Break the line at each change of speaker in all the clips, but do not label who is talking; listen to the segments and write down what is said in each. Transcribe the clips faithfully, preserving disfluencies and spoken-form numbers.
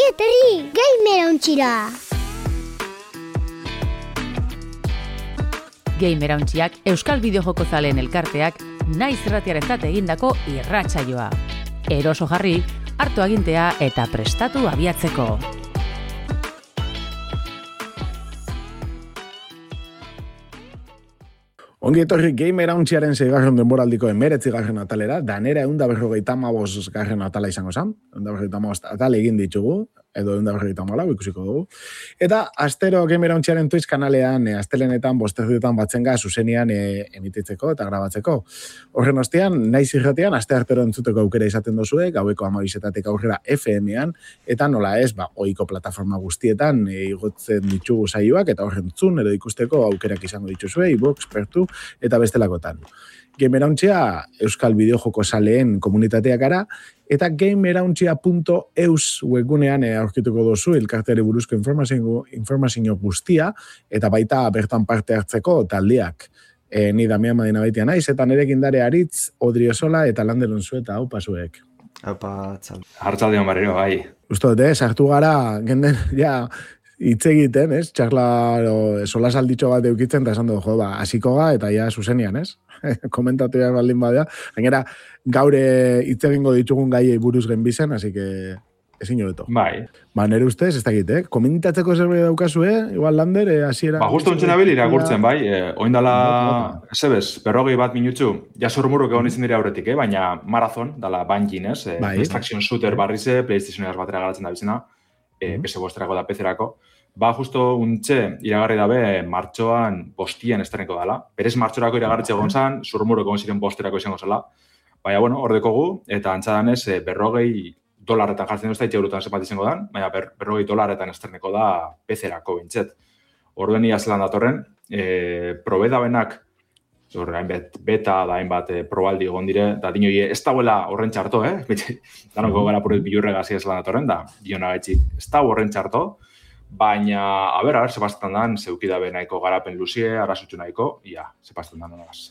Ongi etorri, Gamerauntxira!
Gamerauntxiak Euskal Bideojoko zaleen elkarteak naiz irratiarentzat egindako irratsaioa. Eroso jarri, hartu agintea eta prestatu abiatzeko.
Ongi etorri Gamerauntxiaren seigarren denboraldiko emeretzigarren atalera, danera eunda berrogeita hamabost garren atala izango zen, eunda berrogeita hamabost atal egin ditugu, edo eunda berrogeita hamalau ikusiko dugu. Eta astero Gamerauntxiaren Twitch kanalean, e, astelenetan, bosterdietan batzenga zuzenian e, emititzeko eta grabatzeko. Horren ostean, naiz irratean, aste artero entzuteko aukera izaten dozue, gaueko hamabizetatik aurrera F M-an, eta nola ez, ba, ohiko plataforma guztietan e, igotzen ditugu saioak, eta horren zun, edo ikusteko aukerak izango dituzue, iBox, Pertu, eta bestelakotan. Gamerauntxia Euskal Bideojoko zaleen komunitatea gara, eta gamerauntxia punto eus webgunean aurkituko dozu elkarteari buruzko informazio, informazio guztia, eta baita bertan parte hartzeko taldeak. E, ni Damian Madina baitia naiz, eta nerekin dare Aritz, Odriozola eta Landeron Zueta, hau pasuek.
Haupa, txal.
Hartzaldeon barriro, bai.
Usto, eh, sartu gara, genden, ja, hitz egiten, ez? Txarla, sola salditxo bat eukitzen, eta esan du, jo, ba, hasiko ga, eta ja zuzenian, ez? Komentatu behar baldin badea. Gainera, gaure hitz egingo ditugun gaiei buruz genbizen, así que ezin hobeto.
Bai.
Ba, nere ustez, ez dakit, eh? Komentatzeko zerbait daukazu, eh? Igual, Lander, eh, hasiera...
Ba, justo ontzen abil irakurtzen, bai. Eh, oindala, zebez, berrogei bat minutzu, jasurmuruk egon izan dira aurretik, eh? Baina marathon, dala Bungie, ez? Eh,
bai.
Extraction Shooter barrize, PlayStationeraz batera garatzen da bizena, eh, P S bosterako da P C-erako. Ba, justo untxe, iragarri dabe, martxoan bostian estreneko dela. Berez martxorako iragarritxe egon zan, zurmurok egon ziren bosterako izango zela. Baina, bueno, hor dekogu, eta antzadanez, eh, berrogei dolarretan jartzen duzta, itxeurutan zepat izango dan, baina ber, berrogei dolarretan estreneko da P C-erako bintxet. Orduen ia zelan datorren, eh, probe dabenak, zor, hainbat beta da hainbat eh, probaldi egon dire, da dinoi ez dagoela horren txarto, eh? Danoko gara puret bilurrega zia zelan datorren, da, diona etxik, ez da horren txarto, baina, a ber, a ber, zepazten dan, zeukidabe nahiko garapen luzie, arazutxu nahiko, ia, zepazten dan, nolaz.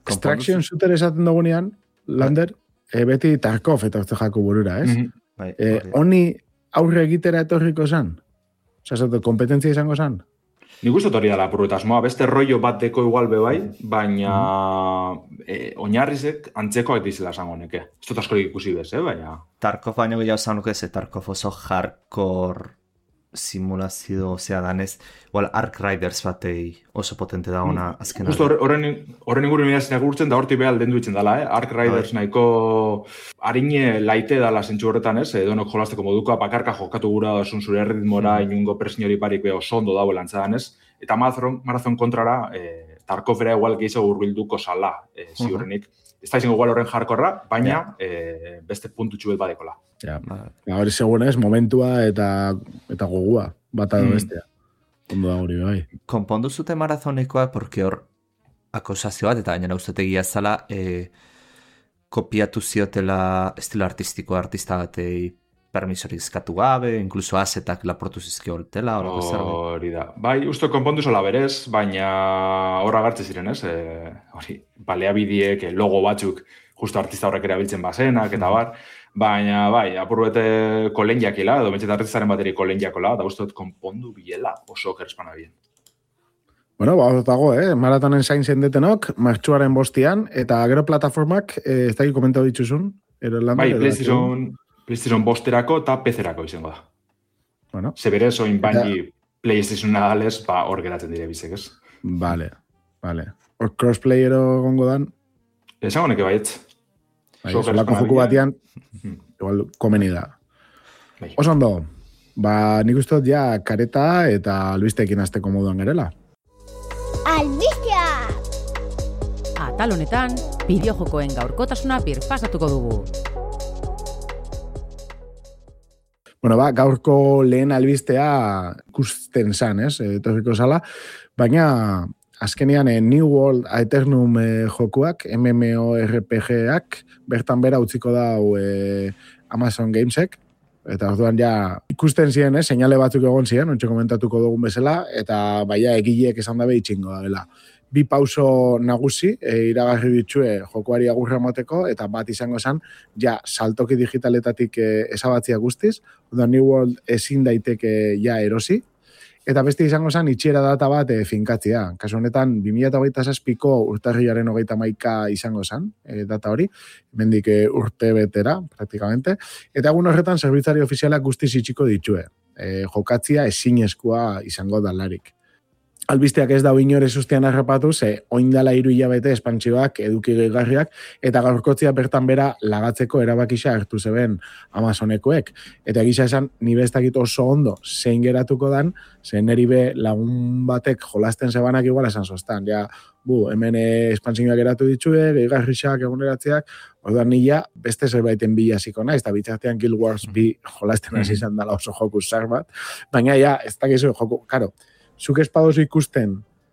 Extraction Shooter esaten dugunean, Lander, e, beti Tarkov eta orte jako burura, ez?
Mm-hmm. Bai,
e, honi aurre egitera etorriko zan? Osa, zato, kompetentzia izango zan?
Nik uste hori dala purruetasmoa, beste rollo bat deko igual bebai, baina mm-hmm. e, oinarrizek antzekoak dizela esango neke. Ez dut askorik ikusi bez, eh, baina...
Tarkov baino gehiago zanuke, ze Tarkov oso hardcore simulazio, osea danez, igual Ark Riders batei oso potente da ona azken.
Justo horren horren inguru mirazina gurtzen da hortik behal dendu itzen dela, eh? Ark Riders Ai. Nahiko harine laite dala zentsu horretan, ez? Edonok jolasteko modukoa, bakarka jokatu gura dasun zure ritmora, mm. inungo presiñori parik beho sondo dago lantzadan, ez? Eta marathon, marathon kontrara, eh, Tarkovera igual gehiago urbilduko sala, eh, ziurrenik. Uh-huh. Ez da izango igual horren jarkorra, baina yeah. eh, beste puntu txubet badekola.
Ja, ja, hori segunez, momentua eta eta gogua, bata mm. bestea. Ondo da hori, bai.
Konpondu zute marazonekoa, porque hor akusazio bat, eta gainera ustetegia zala, e, kopiatu ziotela estilo artistiko artista batei permisorik eskatu gabe, inkluso asetak laportu zizkio holtela, horako zerbait.
Hori da. Bai, uste konpondu zola berez, baina horra gartze ziren, ez? E, hori, baleabidiek, logo batzuk, justo artista horrek erabiltzen bazenak, eta bar, baina, bai, apurbete kolenjakila, edo bentset artistaren bateri kolenjakola, da uste konpondu biela oso kerspana bien.
Bueno, ba, dago, eh? Maratonen zain zendetenok, martxuaren bostian, eta gero plataformak, eh, ez da komentatu dituzun?
Bai, PlayStation, PlayStation bosterako eta P C-erako izango da.
Bueno.
Zeberez, oin baini eta... PlayStation nadales, ba, hor geratzen dire bizek, ez?
Vale, vale. Hor crossplayero gongo dan?
Esango neke baietz.
Bai, solako joku batian, igual komeni da. Bai. Oso ondo, ba, nik uste dut ja kareta eta albisteekin azteko moduan gerela.
Albistea!
Atal honetan, bideojokoen gaurkotasuna birpasatuko dugu.
Bueno, ba, gaurko lehen albistea ikusten zan, ez? Etorriko zala, baina azkenean eh, New World Aeternum eh, jokuak, MMORPG-ak, bertan bera utziko dau eh, Amazon Gamesek, eta orduan ja ikusten ziren, eh, seinale batzuk egon ziren, ontsa komentatuko dugun bezala, eta baia egileek esan dabe itxingo dela. bi pauso nagusi e, iragarri ditue jokoari agurra emoteko, eta bat izango zen, ja, saltoki digitaletatik e, ezabatzia guztiz, oda New World ezin daiteke ja erosi, eta beste izango zen itxiera data bat e, finkatzia. Kasu honetan, bi mila hogeita zazpiko urtarriaren hogeita hamaika izango zen, e, data hori, mendik e, urte betera, praktikamente, eta egun horretan zerbitzari ofizialak guztiz itxiko ditue. E, jokatzia ezinezkoa izango dalarik. Albisteak ez da inore sustian harrapatu, ze oindala hiru hilabete espantsioak eduki gehigarriak, eta gaurkotzia bertan bera lagatzeko erabakisa hartu zeben Amazonekoek. Eta gisa esan, ni bestakit oso ondo zein geratuko dan, zen neri be lagun batek jolasten zebanak igual esan zoztan. Ja, bu, hemen espantsioak geratu ditue, gehigarriak eguneratzeak, orduan nila beste zerbaiten bila ziko naiz, eta bitzartean Guild Wars bi jolasten hasi izan dela oso joku zar bat, baina ja, ez dakizu joku, karo, zuk espadozu ikusten,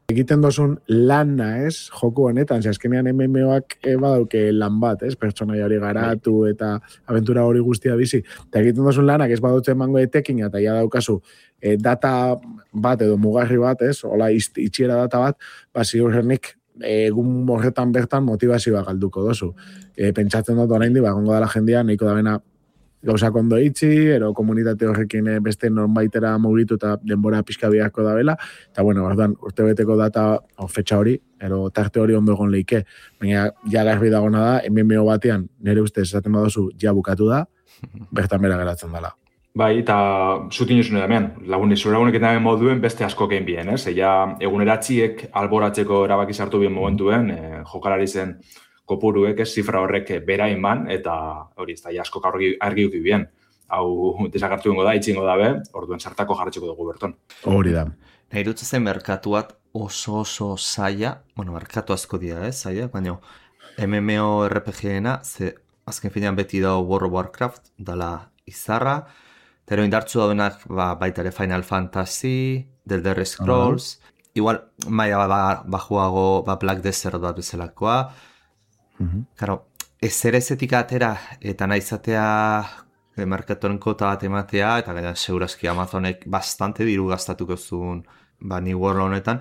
egiten dozun lana, ez, joku honetan, ze azkenean M M Oak e, badauke lan bat, ez, pertsonai hori garatu eta aventura hori guztia bizi, eta egiten dozun lanak ez badutzen mango etekin, eta ja daukazu, e, data bat edo mugarri bat, ez, hola itxiera data bat, ba, ziurrenik, egun horretan bertan motivazioa galduko dozu. E, pentsatzen dut orain di, ba, gongo dela jendia, nahiko da bena gauzak ondo itxi, ero komunitate horrekin beste norbaitera mugitu eta denbora pixka biharko da bela, eta bueno, orduan, urtebeteko data o, fetxa hori, ero tarte hori ondo egon leike, baina ja garbi dagona da, M M O batean, nire ustez esaten badozu, ja bukatu da, bertan bera geratzen dela.
Bai, eta zutin jozune damean, lagun izure lagunek eta moduen beste asko kein bien, ez? Eia eguneratziek alboratzeko erabaki sartu bien momentuen, e, jokalari zen kopuruek, ez, zifra horrek bera inban, eta hori ez da, asko argi, argi uki bien. Hau desakartu ingo da, itxingo da be, orduen sartako jarretxeko dugu berton.
Hori da.
Nahi dut zen merkatuat oso oso zaila, bueno, merkatu asko dira, ez, zaila, baina M M O R P G-ena, ze azken finean beti da World of Warcraft, dala izarra, Pero indartzu daudenak ba, baita ere Final Fantasy, The Elder Scrolls, uh-huh. igual maia ba, bajuago ba, Black Desert bat bezalakoa. Uh-huh. Karo, ezer ezetik atera eta naizatea e, markatoren kota bat ematea, eta gaina segurazki Amazonek bastante diru gastatuko zuen ba, New World honetan.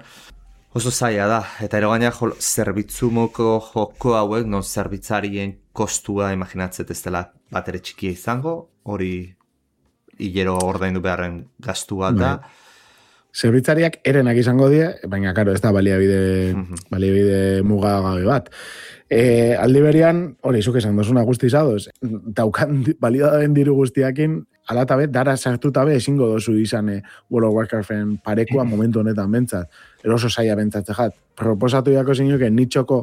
Oso zaila da, eta ero gaina zerbitzumoko joko hauek, non zerbitzarien kostua imaginatzet ez dela bat ere txikia izango, hori hilero ordaindu beharren gastu bat da.
Zerbitzariak erenak izango die, baina karo ez da baliabide, uh-huh. baliabide mugagabe bat. E, aldi berian, hori, zuk esan dozuna guztizadoz, daukan baliodaben diru guztiakin, alatabe, dara sartutabe ezingo dozu izan e, World of Warcraften parekoa momentu honetan bentsat. Eroso zaila bentsatze jat. Proposatu jako zinuke nitxoko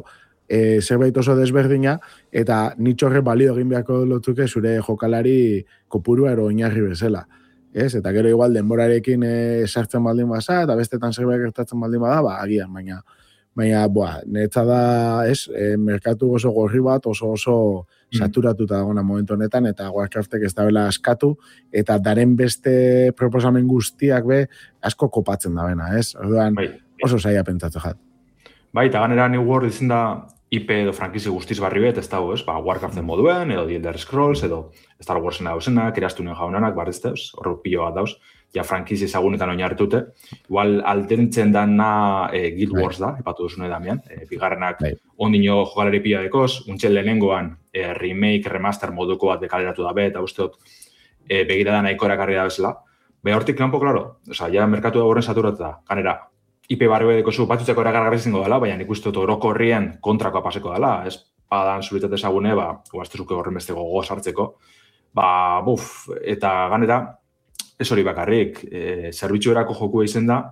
e, zerbait oso desberdina, eta nitxorre balio egin beharko lotzuke zure jokalari kopurua ero oinarri bezala. Ez? Eta gero igual denborarekin e, sartzen baldin basa, eta bestetan zerbait gertatzen baldin bada, ba, agian, baina baina, boa, netza da, ez, e, merkatu oso gorri bat, oso oso saturatuta dagoena momentu honetan, eta Warcraftek ez da bela askatu, eta daren beste proposamen guztiak be, asko kopatzen da bena, ez? Orduan, bai, oso zaila pentsatu jat.
Bai, eta ganera New World izin da I P edo frankizi guztiz barri bet, ez dago, ez? Ba, Warcraften moduen, edo The Elder Scrolls, edo Star Warsen dauzenak, erastunen jaunanak, barriz dauz, horro pilo bat dauz, ja frankizi ezagunetan oinarritute. Igual aldentzen dana e, Guild Wars da, epatu duzune damian, e, bigarrenak bai. Ondino jokalari pila dekoz, untxel lehenengoan e, remake, remaster moduko bat dekaleratu dabe, eta usteot e, begirada nahiko erakarri da bezala. Be hortik lanpo, klaro, oza, ja merkatu da horren saturatu da, kanera, I P barri bedeko zu, batzutzeko erakargarri zingo dela, baina nik uste dut oroko horrien kontrakoa paseko dela, ez padan zuritate ezagune, ba, guaztezuke horren beste gogo sartzeko, ba, buf, eta ganera, ez hori bakarrik, e, zerbitzu erako joku izen da,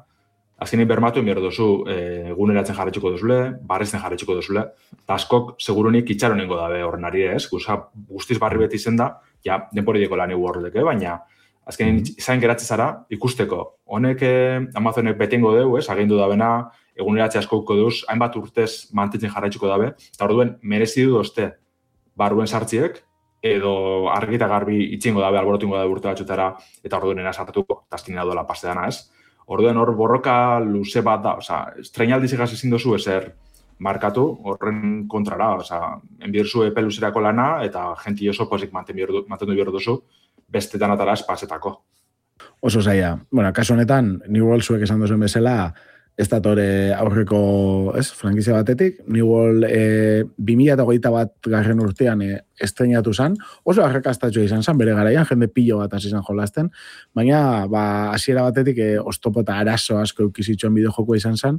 azkenein bermatu enbiar dozu, e, eguneratzen jarretxuko duzule, barrezten jarretxuko duzule, eta askok segurunik itxaronengo dabe horren ari ez, guza, guztiz barri beti izen da, ja, denporideko lan New Worldek, baina, azkenein zain geratze zara, ikusteko, honek eh, Amazonek betengo deu, ez, agindu dabena, eguneratze askouko duz, hainbat urtez mantentzen jarraitzuko dabe, eta orduen merezi du dozte barruen sartziek, edo argita garbi itxingo dabe, alborotu ingo dabe urte batxutara, eta orduen ena sartuko, eta azkenein dola paste dana, ez. Orduen hor borroka luze bat da, oza, estrenaldi zigaz ezin dozu ezer markatu, horren kontrara, oza, enbierzu epe luzerako lana, eta jenti oso pozik mantendu behar dozu, bestetan atara espatzetako.
Oso zaila. Bueno, kasu honetan, New World zuek esan duzuen bezala, ez datore aurreko, ez, frankizia batetik, New World e, bi mila hogeita bat garren urtean e, estrenatu zen, oso arrakastatxoa izan zen, bere garaian, jende pilo bat hasi zen jolasten, baina, ba, hasiera batetik e, oztopo eta arazo asko eukizitxoen bideojokoa izan zen,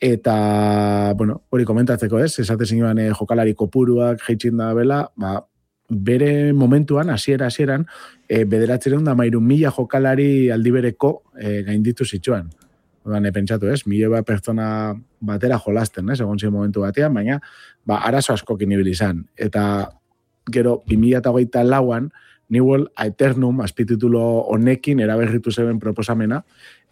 eta, bueno, hori komentatzeko ez, esate zinuan e, jokalari kopuruak jeitxin da bela, ba, bere momentuan, hasiera hasieran, e, bederatzireun da mairu mila jokalari aldibereko e, gainditu zituen. Odan, e, pentsatu ez, mila bat pertsona batera jolasten, ez, egon ziren momentu batean, baina, ba, arazo askokin ibili izan. Eta, gero, bi mila hogeita lauan, New World Aeternum, azpititulo honekin eraberritu zeben proposamena,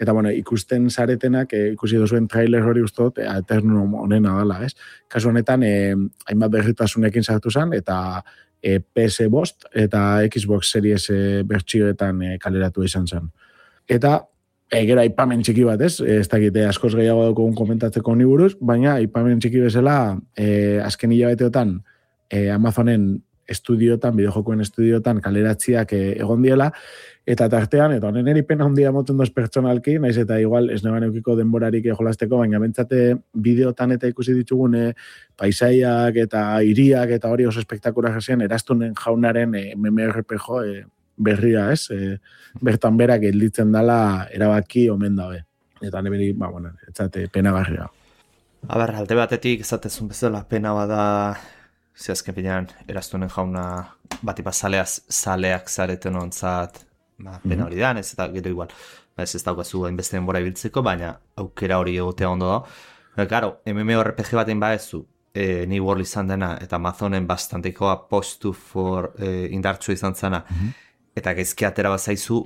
eta, bueno, ikusten zaretenak, e, ikusi duzuen trailer hori ustot, e, Aeternum honena dala, ez? Kasu honetan, e, hainbat berritasunekin sartu zen, eta e, P S bost eta Xbox Series e, bertsioetan e, kaleratu izan zen. Eta, e, gero aipamen txiki bat, ez? E, ez dakite askoz gehiago daukogun komentatzeko ni buruz, baina aipamen txiki bezala, e, azken hilabeteotan e, Amazonen estudiotan, bideojokoen estudiotan kaleratziak e, egon diela, eta tartean, eta honen eripen handia moten doz pertsonalki, naiz eta igual ez neban eukiko denborarik jolasteko, baina bentsate bideotan eta ikusi ditugun e, paisaiak eta hiriak eta hori oso espektakular zen, Eraztunen Jaunaren e, M M O R P G e, berria, ez? E, bertan berak gelditzen dala erabaki omen dabe. Eta neberi, ba, bueno, etzate penagarria.
A ber, alde batetik, ezatezun bezala, pena bada, zehazken pinean, Eraztunen Jauna batipa zaleaz, zaleak zareten ontzat, ba, pena hori da, ez eta gero igual, ba, ez ez daukazu hainbeste denbora ibiltzeko, baina aukera hori egotea ondo da. Ba, claro, M M O R P G baten baezu, e, New World izan dena, eta Amazonen bastanteko apostu for e, indartsu izan zana, eta gaizki atera bat zaizu,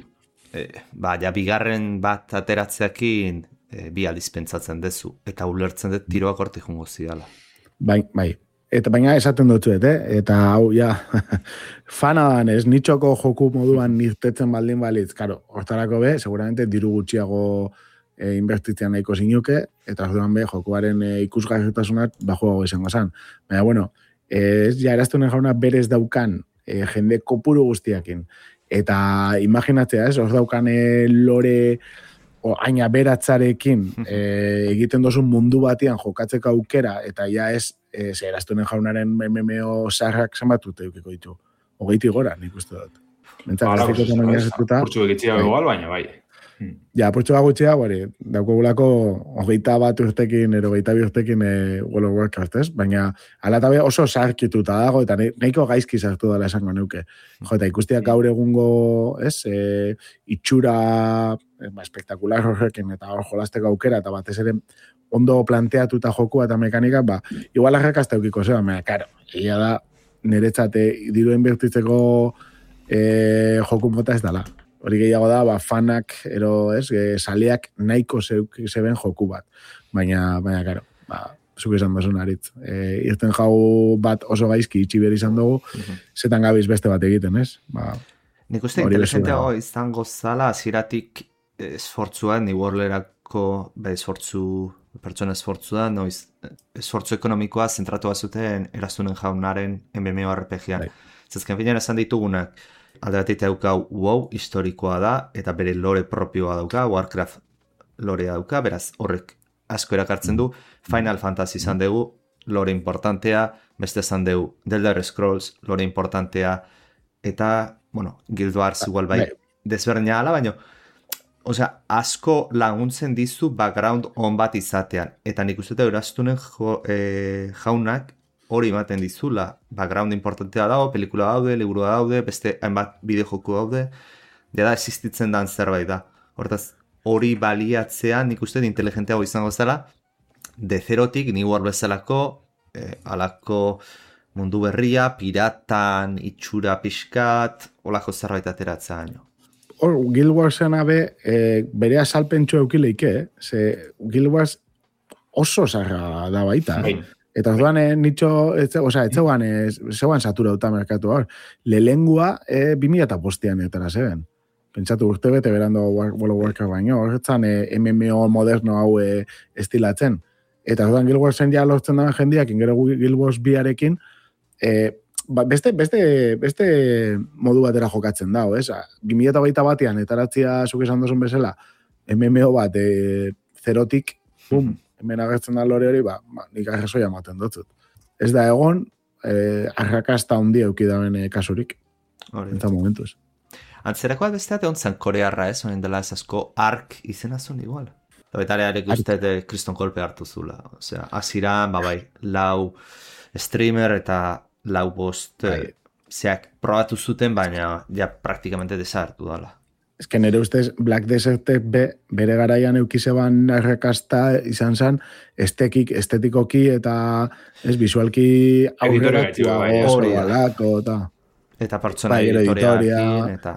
e, ba, ja, bigarren bat ateratzeakin e, bi aldiz pentsatzen dezu, eta ulertzen dut tiroak hortik jungo zidala.
Bai, bai. Eta baina esaten dutzuet, eh? Eta hau, ja, fana dan ez, nitxoko joku moduan nirtetzen baldin balitz, karo, hortarako be, seguramente diru gutxiago e, inbertitzen nahiko zinuke, eta orduan be, jokuaren e, ikusgarritasunat bajuago izango zen. Baina, bueno, ez ja Eraztunen Jauna berez daukan e, jende kopuru guztiakin, eta imaginatzea ez, hor daukan e, lore o aina beratzarekin e, egiten dozun mundu batian jokatzeko aukera, eta ja ez, e, ze Eraztunen Jaunaren M M O sarrak zenbatute eukiko ditu. Hogeiti gora, nik uste dut.
Hala, purtsu egitxia begoal, baina bai.
Ja, purtsu gutxia, bari, daukogulako hogeita bat urtekin, ero hogeita bi urtekin e, World of Warcraft, ez? Baina, alatabe oso sarkituta dago, eta nahiko gaizki sartu dela esango neuke. Jo, eta ikustiak gaur egungo, ez, e, itxura e, ba, espektakular horrekin, eta hor jolasteko aukera, eta batez ere ondo planteatuta jokua eta mekanika, ba, igual arrakazta eukiko zeba, mea, karo, egia da, niretzate diruen bertitzeko e, joku mota ez dala. Hori gehiago da, ba, fanak, ero, ez, e, saleak nahiko zeben joku bat. Baina, baina, karo, ba, zuk izan dozun aritz. E, irten jau bat oso gaizki itxi behar izan dugu, uh-huh. Zetan gabiz beste bat egiten, ez? Ba,
nik uste inteligenteago izango zala, aziratik esfortzua, New Worlderako, be, esfortzu, pertsona esfortzua, noiz, esfortzu ekonomikoa zentratu bazuten Eraztunen Jaunaren M M O R P G-an. Zezken finean esan ditugunak, alde batetik dauka WoW historikoa da, eta bere lore propioa dauka, Warcraft lorea dauka, beraz horrek asko erakartzen du, Final Fantasy izan dugu, lore importantea, beste izan dugu, The Elder Scrolls, lore importantea, eta, bueno, Guild Wars igual bai, desberdina ala, baina, osea, asko laguntzen dizu background on bat izatean, eta nik uste Eraztunen jo, e, Jaunak, hori ematen dizula, background importantea dago, pelikula daude, liburua daude, beste hainbat bideojoku daude, da existitzen dan zerbait da. Hortaz, hori baliatzean nik uste inteligenteago izango zela, de zerotik, New World bezalako, eh, alako mundu berria, piratan, itxura pixkat, olako zerbait ateratzea baino.
Hor, Guild Warsen abe, eh, bere azalpentsu eukileike, eh? Ze Guild Wars oso zarra da baita. Eh? Eta orduan, eh, nitxo, oza, etxeuan, eh, zeuan satura duta merkatu hor. Lelengua, eh, bi mila eta postian etara zeben. Pentsatu urte bete berando World of Warcraft baino, horretzan eh, M M O moderno hau eh, estilatzen. Eta orduan Guild Warsen ja lortzen dagoen jendiak, ingero Guild Wars biarekin, eh, ba, beste, beste, beste modu batera jokatzen dago, ez? bi mila eta batean, etaratzia zuk esan dozun bezala, M M O bat, eh, zerotik bum, hemen agertzen da lore hori, ba, ba nik arrazoia ematen dutzut. Ez da egon, eh, arrakasta hundi eukidaben eh, kasurik. Eta momentuz.
Antzerakoa besteat egon zen korearra, ez? Honen dela ez asko ark izena zuen igual. Eta betarearek uste kriston kolpe hartu zula. Osea, aziran, ba bai, lau streamer eta lau bost eh, zeak probatu zuten, baina ja praktikamente desartu dala.
Ez que nire ustez Black Desertek be, bere garaian eukizeban arrakasta izan zen estekik, estetikoki eta ez visualki aurreratua hori alako eta...
Eta pertsona editoriakin eta...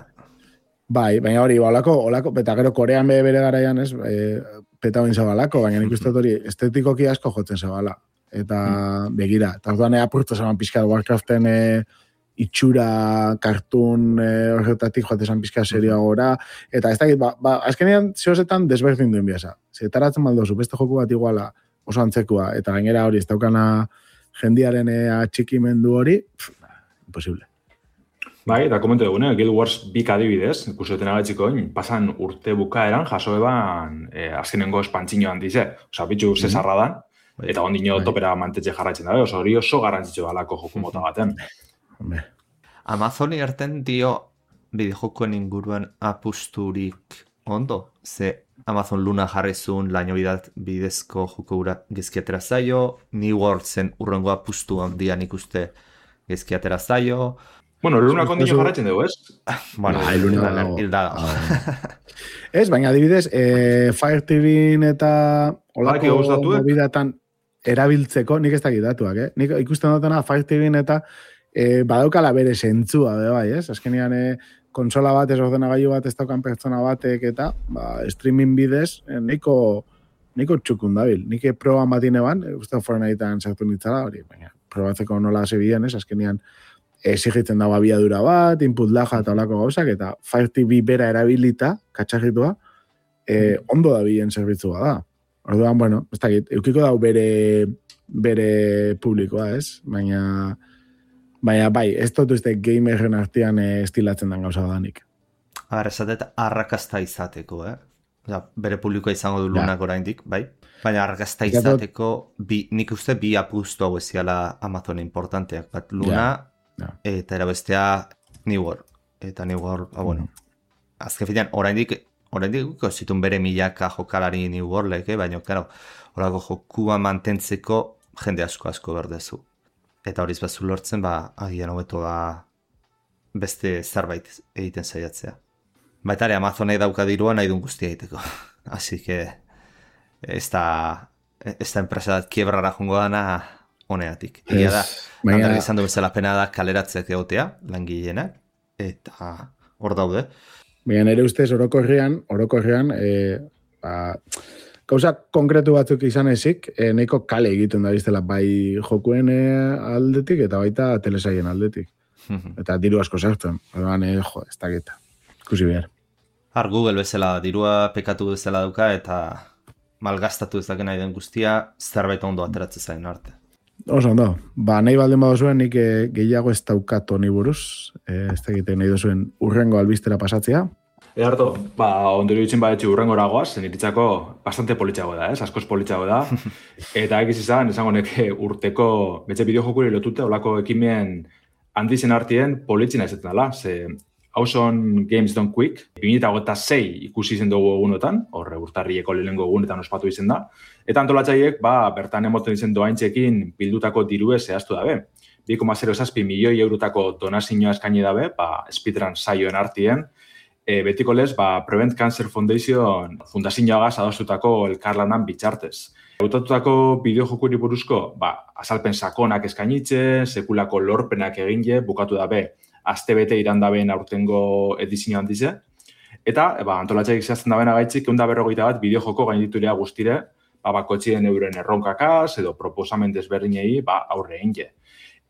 Bai, baina hori, olako, olako, eta gero Korean be bere garaian ez, e, peta bain zabalako, baina nik uste hori estetikoki asko jotzen zabala. Eta mm. begira, eta orduan apurtu zaban pixka Warcraften e, itxura, kartun e, horretatik joate zan pixka seria gora, eta ez dakit, ba, ba azkenean zehozetan desberdin duen biasa. Zetaratzen baldozu, beste joku bat iguala oso antzekua, eta gainera hori ez daukana jendiaren e, atxikimendu hori, pff, imposible.
Bai, eta komentu dugune, Guild Wars bik adibidez, ikusioten agatziko, pasan urte bukaeran, jaso eban eh, azkenengo espantzinoan dize. Osa, bitxu zesarra dan, eta ondino bai. Topera mantetxe jarraitzen dabe, oso hori oso garrantzitsu dalako joku mota baten.
Amazoni erten dio bideojokoen inguruan apusturik ondo, ze Amazon Luna jarrizun laino bidat bidezko joko gura gezkiatera zaio, New Worldsen urrengo apustu handian ikuste gezkiatera zaio.
Bueno, Luna kondino jarratzen dugu, ez?
Bueno, ah, Luna hilda da.
Ez, baina adibidez, eh, Fire T V eta olako mobidatan erabiltzeko, nik ez dakit datuak, eh? Nik ikusten dutena Fire T V eta eh, badaukala bere sentzua, bai, ez? Azkenean, eh, konsola bat, ez ordenagailu bat, ez daukan pertsona batek eta ba, streaming bidez, eh, niko, niko txukun dabil. Nik proban batine ban, uste Fortnitean sartu nitzala, hori, baina probatzeko nola zebilen, ez? Azkenean, exigitzen dago abiadura bat, input laja eta olako gauzak, eta Fire T V bera erabilita, katxarritua, eh, ondo da bilen zerbitzua da. Orduan, bueno, ez dakit, eukiko dau bere, bere publikoa, ez? Baina, baina bai, ez dut uste gamerren artean eh, estilatzen den gauza danik.
Agar, esatet arrakasta izateko, eh? Oza, bere publikoa izango du Lunak ja. Oraindik, bai? Baina arrakasta izateko, bi, nik uste bi apustu hau eziala Amazon importanteak, bat Luna, ja. No. Eta erabestea New World. Eta New World, ah, bueno, mm. azken finean, oraindik, oraindik zitun bere milaka jokalari New Worldek, eh? Baina, claro, horako jokua mantentzeko jende asko asko berdezu. Eta horiz bazu lortzen, ba, agian hobeto da beste zerbait egiten saiatzea. Baita ere, Amazonek dauka dirua nahi duen guztia egiteko. Así que, esta, esta empresa dat kiebrara jongo dana honeatik. Egia da, Baina... izan du bezala pena da kaleratzeak egotea, langileenak, eta hor daude.
Baina nire ustez orokorrean, orokorrean, e, ba, gauza konkretu batzuk izan ezik, e, nahiko kale egiten da biztela bai jokuen e, aldetik eta baita telesaien aldetik. Eta diru asko sartzen. Orduan, e, jo, ez dakita. Ikusi behar.
Har Google bezala, dirua pekatu bezala dauka eta malgastatu ez daken nahi den guztia, zerbait ondo ateratzen zain arte.
Oso ondo, ba, nahi baldin badozuen nik e, gehiago ez daukat honi buruz, e, ez dakite nahi dozuen urrengo albistera pasatzea.
Edarto, ba, ondori ditzen badetxe urrengo eragoaz, niritzako bastante politxago da, ez? Askoz politxago da. Eta egiz izan, esango neke urteko betxe bideojokuri lotute, olako ekimen handizen artien politzina izaten dela. Ze Awesome Games Don't Quick, bi mila hogeita sei ikusi izen dugu egunotan, horre urtarrieko lehenengo egunetan ospatu izen da. Eta antolatzaiek, ba, bertan emoten izen doaintzekin bildutako dirue zehaztu dabe. bi koma zero zazpi milioi eurotako donazioa eskaini dabe, ba, speedrun saioen artien. E, betiko lez, ba, Prevent Cancer Foundation fundazioagaz adostutako elkarlanan bitxartez. Hautatutako bideojokuri buruzko, ba, azalpen sakonak eskainitze, sekulako lorpenak eginle, bukatu dabe, astebete irandabeen aurtengo edizioan dize. Eta, ba, antolatxaik zehazten dabeen agaitzik, egun da berrogeita bat bideojoko gainditurea guztire, ba, bakotxien euren erronkakaz, edo proposamen desberdinei, ba, aurre egin.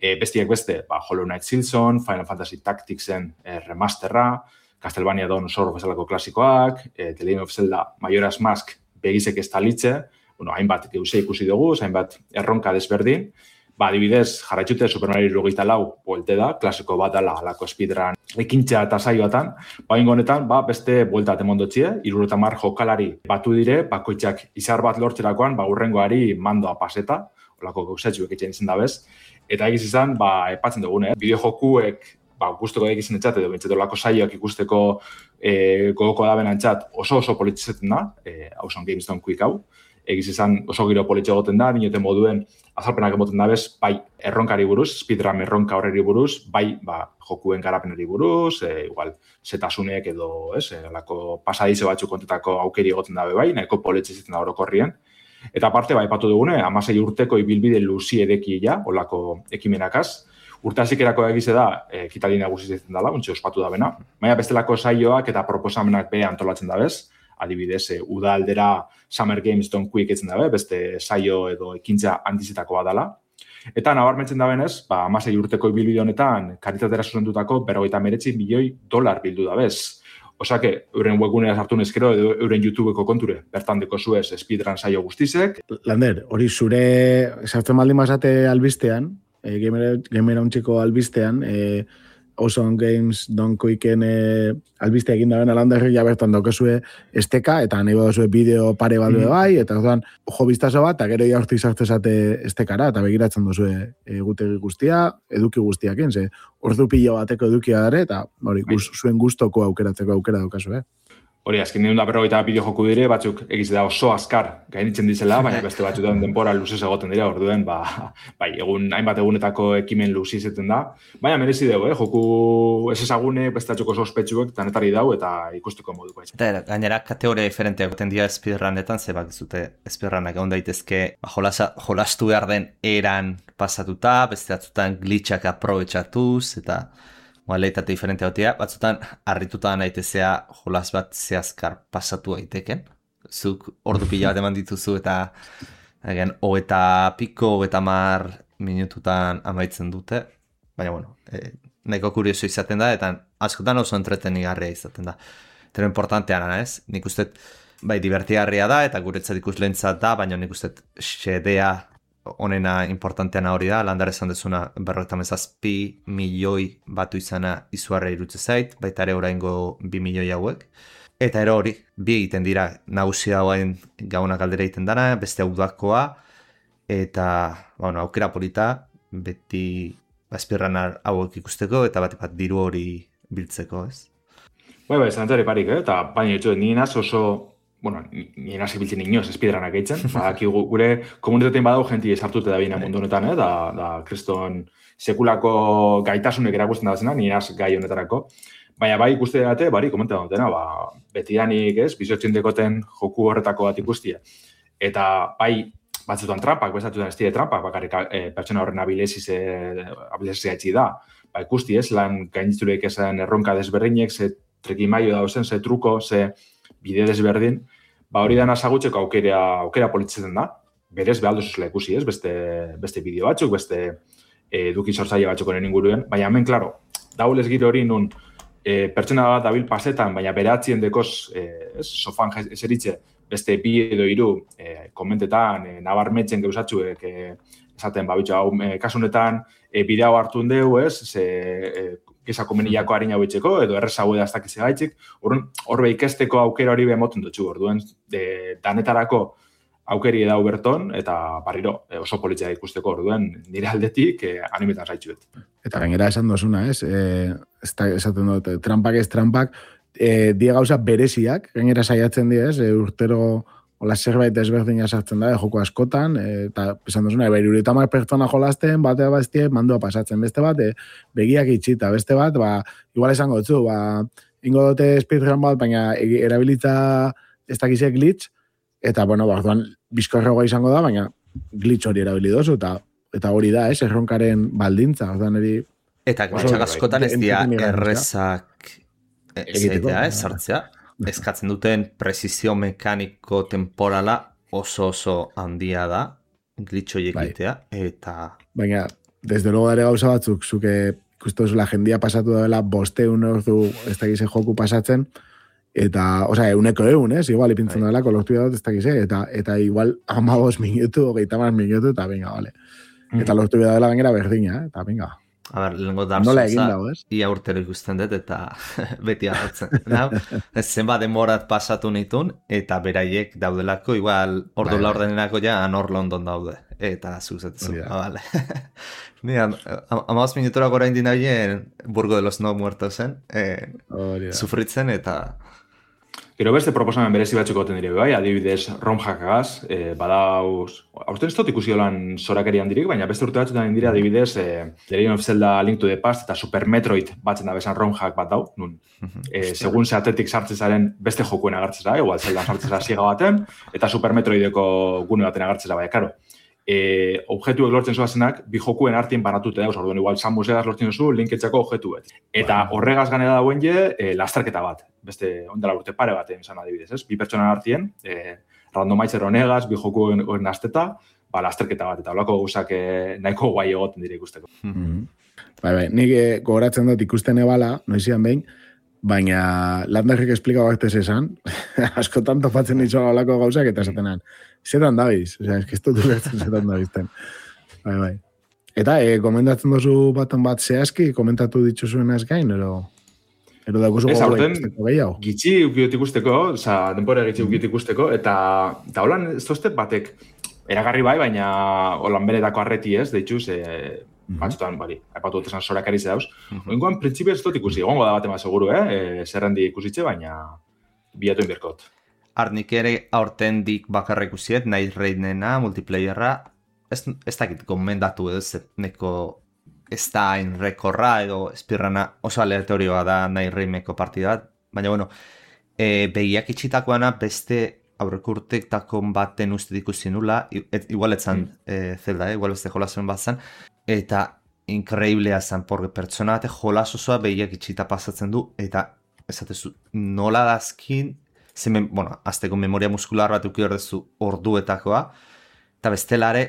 E, bestiak beste, ba, Hollow Knight Silson, Final Fantasy Tacticsen e, remasterra, Castlevania Dawn of Sorrow bezalako klasikoak, e, The Legend of Zelda Majora's Mask begizek ez talitze, bueno, hainbat geuse ikusi dugu, hainbat erronka desberdin, ba, adibidez, jarraitxute Super Mario hirurogeita lau buelte da, klasiko bat dela alako speedrun ekintza eta saioatan, ba, honetan, ba, beste buelta temondotxie, hirurogeita hamar jokalari batu dire, bakoitzak izar bat lortzerakoan, ba, urrengoari mandoa paseta, olako gauzatxuek etxean izan dabez, eta egiz izan, ba, epatzen dugune, bideo jokuek, ba, guzteko egizien etxat, edo bintzat olako saioak ikusteko e, gogoko da benantzat oso oso politzetzen da, e, Awesome Games Don't Quick hau, egiz izan oso giro politxe egoten da, dinoten moduen azalpenak emoten da bez, bai erronkari buruz, speedrun erronka horreri buruz, bai ba, jokuen garapenari buruz, e, igual, setasunek edo, ez, e, olako pasadizo batzuk kontetako aukeri egoten dabe bai, nahiko politxe zitzen da orokorrien. Eta aparte, bai, patu dugune, amasei urteko ibilbide luzi edeki ja, olako ekimenakaz, urte hasikerako egize da, e, kitali nagusi zitzen dela, untxe ospatu da bena, baina bestelako saioak eta proposamenak be antolatzen da bez, adibidez, e, uda aldera Summer Games Don't Quick etzen dabe, beste saio edo ekintza handizetakoa dela. Eta nabarmentzen da benez, ba, amasei urteko ibilbide honetan, karitatera zuzendutako berrogeita hemeretzi milioi dolar bildu da bez. Osake, euren webgunea sartu nezkero edo euren YouTubeko konture, bertan deko zuez speedrun saio guztizek.
Lander, hori zure sartzen baldin bazate albistean, e, gamera untxiko albistean, e, Awesome Games Don't Quicken e, albiste egin da bena Landerri ja bertan daukezue esteka, eta nahi badozue bideo pare bat mm. bai, eta orduan jo biztazo bat, eta gero jaurtik sartzezate estekara, eta begiratzen duzue egutegi guztia, eduki guztiakin, ze ordu pilo bateko edukia dare, eta hori, guz, zuen gustoko aukeratzeko aukera daukazue.
Hori, azken nire da berrogeita bideo joku dire, batzuk egiz da oso azkar gainitzen dizela, baina beste batzutan denbora luzez egoten dira, orduen, ba, bai, egun, hainbat egunetako ekimen luzi izaten da. Baina merezi dugu, eh? Joku ez ezagune, beste atxoko sospetxuek, tanetari dau, eta ikusteko moduko.
Eta gainera, kategoria diferenteak goten dira speedrunetan, ze bak zute speedrunak egon daitezke, ba, jolasa, jolastu behar den eran pasatuta, beste atzutan glitchak aprobetxatuz, eta modalitate diferente gotia, batzutan harrituta naitezea jolas bat zehazkar pasatu daiteken. Zuk ordu pila bat eman dituzu eta egen, hogeita piko, hogeita mar minututan amaitzen dute. Baina, bueno, e, nahiko kurioso izaten da, eta askotan oso entretenigarria izaten da. Eta importanteana, ez? Nik uste, bai, divertigarria da, eta guretzat ikuslentzat da, baina nik uste xedea honena importanteana hori da, Landar esan dezuna berrogeita hamazazpi milioi batu izana izuarra irutze zait, baita ere oraingo bi milioi hauek. Eta ero hori, bi egiten dira nagusia hauen gaunak aldera egiten dana, beste udakoa, eta bueno, aukera polita, beti azpirran hauek ikusteko, eta bat bat diru hori biltzeko, ez?
Bai, bai, zantzari parik, eh? Eta baina etxo, nien oso bueno, nien hasi biltzen inoz speedrunak eitzen, badaki gure komunitatein badau jenti esartute da bina mundu honetan, eh? da, da kriston sekulako gaitasunek erakusten da zena, nien gai honetarako. Baina bai ikuste dute, bari, komenta dutena, ba, betidanik, ez, bizotzen dekoten joku horretako bat ikustia. Eta bai, batzutan trampak, bezatutan ez dire trampak, bakarrik e, pertsona horren abilesiz abilesiz da. Ba, ikusti ez, lan gainitzuleik esan erronka desberdinek, ze trekimaio dauzen, ze truko, ze bide desberdin, ba hori dana zagutzeko aukera, aukera politzetzen da. Berez, behar duzuzela ikusi ez, beste, beste bideo batzuk, beste eduki sortzaile batzuk honen inguruen. Baina hemen, klaro, daulez giro hori nun e, pertsona bat dabil pasetan, baina beratzien dekoz, e, ez, sofan eseritze, beste bi edo hiru e, komentetan, e, nabarmetzen gauzatxuek, e, esaten, ba, bitxo, hau, e, kasunetan, e, bideo hartu deu, ez, ze, e, gisa komeniako harina hauitzeko, edo errezago da aztak izegaitzik, horbe ikesteko aukera hori behemoten dutxu, orduen, de, danetarako aukeri edau berton, eta barriro oso politzea ikusteko, orduen, nire aldetik eh, animetan zaitxuet.
Eta gainera esan dozuna, ez? Eh, ez da, esaten dut, trampak ez trampak, eh, die gauza bereziak, gainera saiatzen die, ez? Eh, urtero hola zerbait desberdina sartzen da, joko askotan, eta esan duzuna, eba, irurita mar pertsona jolasten, batea bastie, mandua pasatzen, beste bat, e, begiak itxita, beste bat, ba, igual esango dutzu, ba, ingo dute speedrun bat, baina erabilita ez dakize glitch, eta, bueno, ba, orduan, bizkorregoa izango da, baina glitch hori erabili dozu, eta, eta hori da, ez, erronkaren baldintza, orduan eri...
Eta glitchak askotan ez dira errezak egitea, ez, sartzea. Eskatzen duten prezizio mekaniko temporala oso oso handia da, glitchoiek egitea, eta... Baina,
desde luego ere gauza batzuk, zuke ikustu la jendia pasatu dela bosteun ordu ez dakize joku pasatzen, eta, osea, euneko eun, ez? Igual, ipintzen dela, kolortu dut ez dakize, eta, eta igual amabos minutu, hogeita mar minutu, eta venga, vale. Mm. Eta lortu dela gainera berdina, eta venga.
A ber, lehenko Dark
Nola egin
Soulsa,
dago, ez?
ia urtero ikusten dut, eta beti hartzen. Nau, zenbat denborat pasatu nitun, eta beraiek daudelako, igual, ordu
Bai, bai.
laurdenenako ja, anor London daude. Eta zuzetezu,
Hori da.
ah, vale. Ni, amaz minutora gora indi nabien, Burgo de los No Muertosen, eh,
Hori da.
sufritzen, eta...
Gero beste proposamen berezi batzuk goten dire, bai, adibidez, rom hackagaz, eh, badauz, aurten ez dut ikusi holan zorakerian dirik, baina beste urte batzutan indire adibidez, eh, The Legend of Zelda Link to the Past eta Super Metroid batzen da bezan rom hack bat dau, nun, eh, segun ze atetik sartzen zaren beste jokuen agertzen zara, igual Zelda sartzen zara siega baten, eta Super Metroideko gune baten agertzen zara, baina, karo, eh, objektuek lortzen zoazenak, bi jokuen artien banatute dauz, orduan igual Samus egaz lortzen duzu, linketxako objektuet. Eta horregaz ganera dauen je, eh, lasterketa bat, beste ondela urte pare baten izan adibidez, ez? Bi pertsonan artien, eh, randomizer honegaz, bi jokuen horren asteta, ba, lasterketa bat, eta holako guzak eh, nahiko guai egoten dire ikusteko.
Mhm. Bai, bai, nik eh, gogoratzen dut ikusten ebala, noizian behin, baina landarrik esplikau baktez esan, askotan topatzen ditzoa olako gauzak, eta esatenan, zetan dabiz, osea, ez dut ulertzen zetan dabizten. Bai, bai. Eta, e, komentatzen duzu baten bat zehazki, komentatu dituzuen ez gain, ero... Ero dakuzu
Ez,
gogoa
aurten,
ikusteko gehiago.
gitxi ukiot ikusteko, oza, denpora gitxi ukiot ikusteko, eta, eta holan ez tozte batek eragarri bai, baina holan beretako arreti ez, deitxuz, e, batzutan, bari, aipatu dut esan zorakari ze dauz. Oingoan, printzipio ez dut ikusi, egongo da batema seguru, eh? E, zerrendi ikusitxe, baina bilatu inbirkot.
Arnik ere aurten dik bakarra ikusiet, nahi reidnena, multiplayerra, ez, ez dakit gomendatu edo, ez neko ez da hain rekorra edo espirrana oso aleatorioa da nahi reimeko partida bat, baina bueno, e, begiak itxitakoana beste aurreko urtektako baten uste ikusi nula, et, igual etzan mm. e, Zelda, eh? Igual beste jolazen bat zen, eta inkreiblea zen, porque pertsona bate jolas osoa begiak itxita pasatzen du, eta esatezu nola dazkin, zemen, bueno, azteko memoria muskular bat uki horrezu orduetakoa, eta bestelare,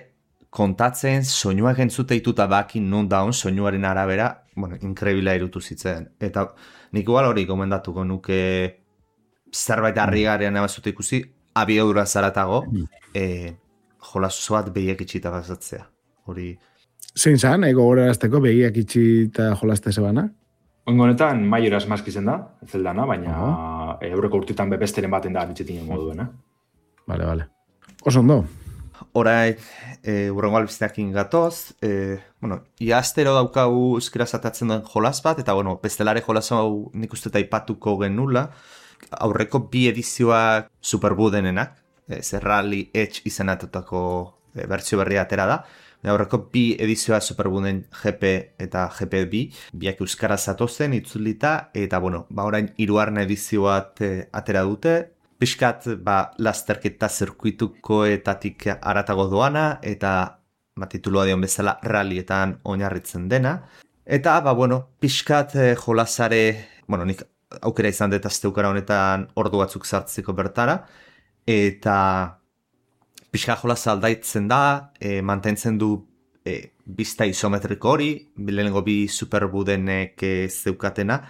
kontatzen soinuak entzute ituta bakin non daun soinuaren arabera, bueno, inkreibila irutu zitzen. Eta nik igual hori gomendatuko nuke zerbait harrigarrian abazute ikusi, abiadura zaratago, e, jolazo bat behiak itxita bazatzea. Hori...
Zein zan, ego gorerazteko begiak itxita jolazte zebana?
Oingo honetan, Majora's Mask izen da, Zeldana, baina uh-huh. eurreko urtetan besteren baten da ditxetinen moduen, eh?
Vale, vale. Oso ondo.
Horai, e, urrengo albizteakin gatoz, e, bueno, iaztero daukagu euskera zatatzen duen jolas bat, eta bueno, bestelare jolas hau nik uste eta ipatuko genula, aurreko bi edizioak superbudenenak, e, Rally Edge izenatutako e, bertsio berria atera da, aurreko bi edizioa superbuden G P eta G P bi, biak euskara zatozen itzulita, eta bueno, ba orain hirugarren edizio bat e, atera dute, Piskat, ba, lasterketa zirkuitukoetatik aratago doana, eta ba, titulua dion bezala rallietan oinarritzen dena. Eta, ba, bueno, Piskat eh, jolasare, bueno, nik aukera izan dut asteukara honetan ordu batzuk sartzeko bertara, eta Piskat jolasa aldaitzen da, eh, mantentzen du eh, bista isometriko hori, lehenengo bi superbudenek eh, zeukatena,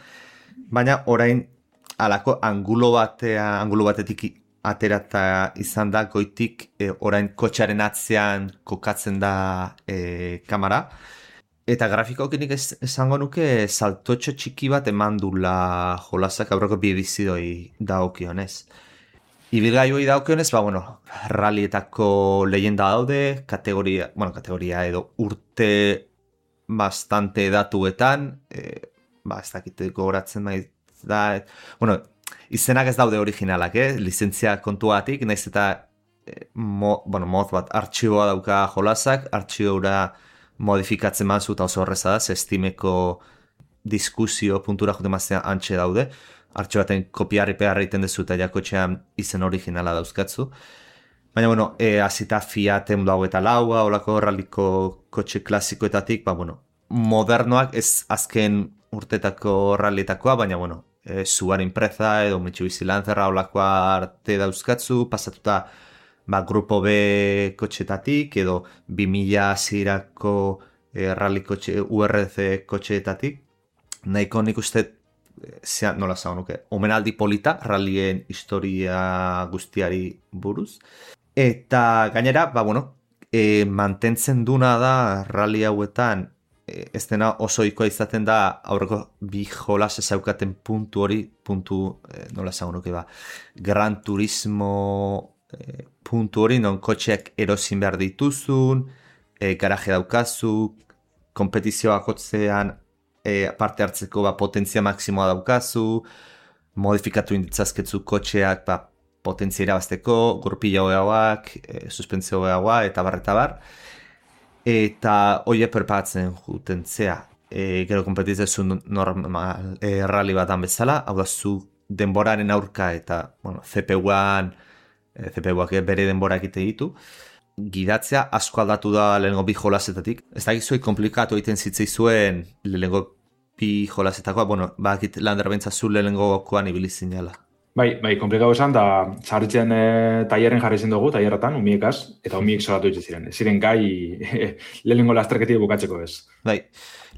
baina orain alako angulo batea, angulo batetik aterata izan da goitik e, orain kotxaren atzean kokatzen da e, kamera. Eta grafikokinik ez, esango nuke saltotxo txiki bat eman dula jolasak aurreko bi edizioi daokionez. Ibilgailuei daukionez, ba, bueno, rallietako leyenda daude, kategoria, bueno, kategoria edo urte bastante datuetan, e, ba, ez dakit gogoratzen maiz, da, bueno, izenak ez daude originalak, eh? Lizentzia kontuatik, naiz eta eh, mo, bueno, mod bat artxiboa dauka jolasak, artxiboa modifikatzen manzu eta oso horreza da, Steameko diskusio puntura jote maztea antxe daude, artxibo baten kopiarri pegarra iten dezu eta jakotxean izen originala dauzkatzu. Baina, bueno, e, azita Fiat egun dago eta laua, olako ralliko kotxe klasikoetatik, ba, bueno, modernoak ez azken urtetako rallietakoa, baina, bueno, e, Subaru Impreza edo Mitsubishi Lancerra olakoa arte dauzkatzu, pasatuta ba, Grupo B kotxetatik edo bi mila zirako e, rally kotxe, U R C kotxetatik. Nahiko nik uste, e, nola zau nuke, omenaldi polita rallyen historia guztiari buruz. Eta gainera, ba, bueno, e, mantentzen duna da rally hauetan ez dena oso ohikoa izaten da aurreko bi jolas ezaukaten puntu hori, puntu, eh, nola esango nuke ba, Gran Turismo eh, puntu hori, non kotxeak erosin behar dituzun, eh, garaje daukazu, kompetizioak hotzean eh, parte hartzeko ba, potentzia maksimoa daukazu, modifikatu inditzazketzu kotxeak ba, potentzia irabazteko, gurpila hogeagoak, e, suspentzio hogeagoa, eta bar, eta bar. Eta hoie perpatzen juten zea. E, gero kompetitzezu normal e, rally batan bezala, hau da zu denboraren aurka eta bueno, C P U-an, e, C P U-ak bere denbora egite ditu. Gidatzea asko aldatu da lehenengo bi jolasetatik. Ez da gizoi komplikatu egiten zitzaizuen lehenengo bi jolasetakoa, bueno, bakit Lander bentzazu lehenengokoan ibili zinela.
Bai, bai, komplikatu esan, da sarritzen e, taierren jarri zen dugu, taierratan, umiekaz, eta umiek solatu dituz ziren. Ez ziren gai lehenengo lasterketik bukatzeko ez.
Bai,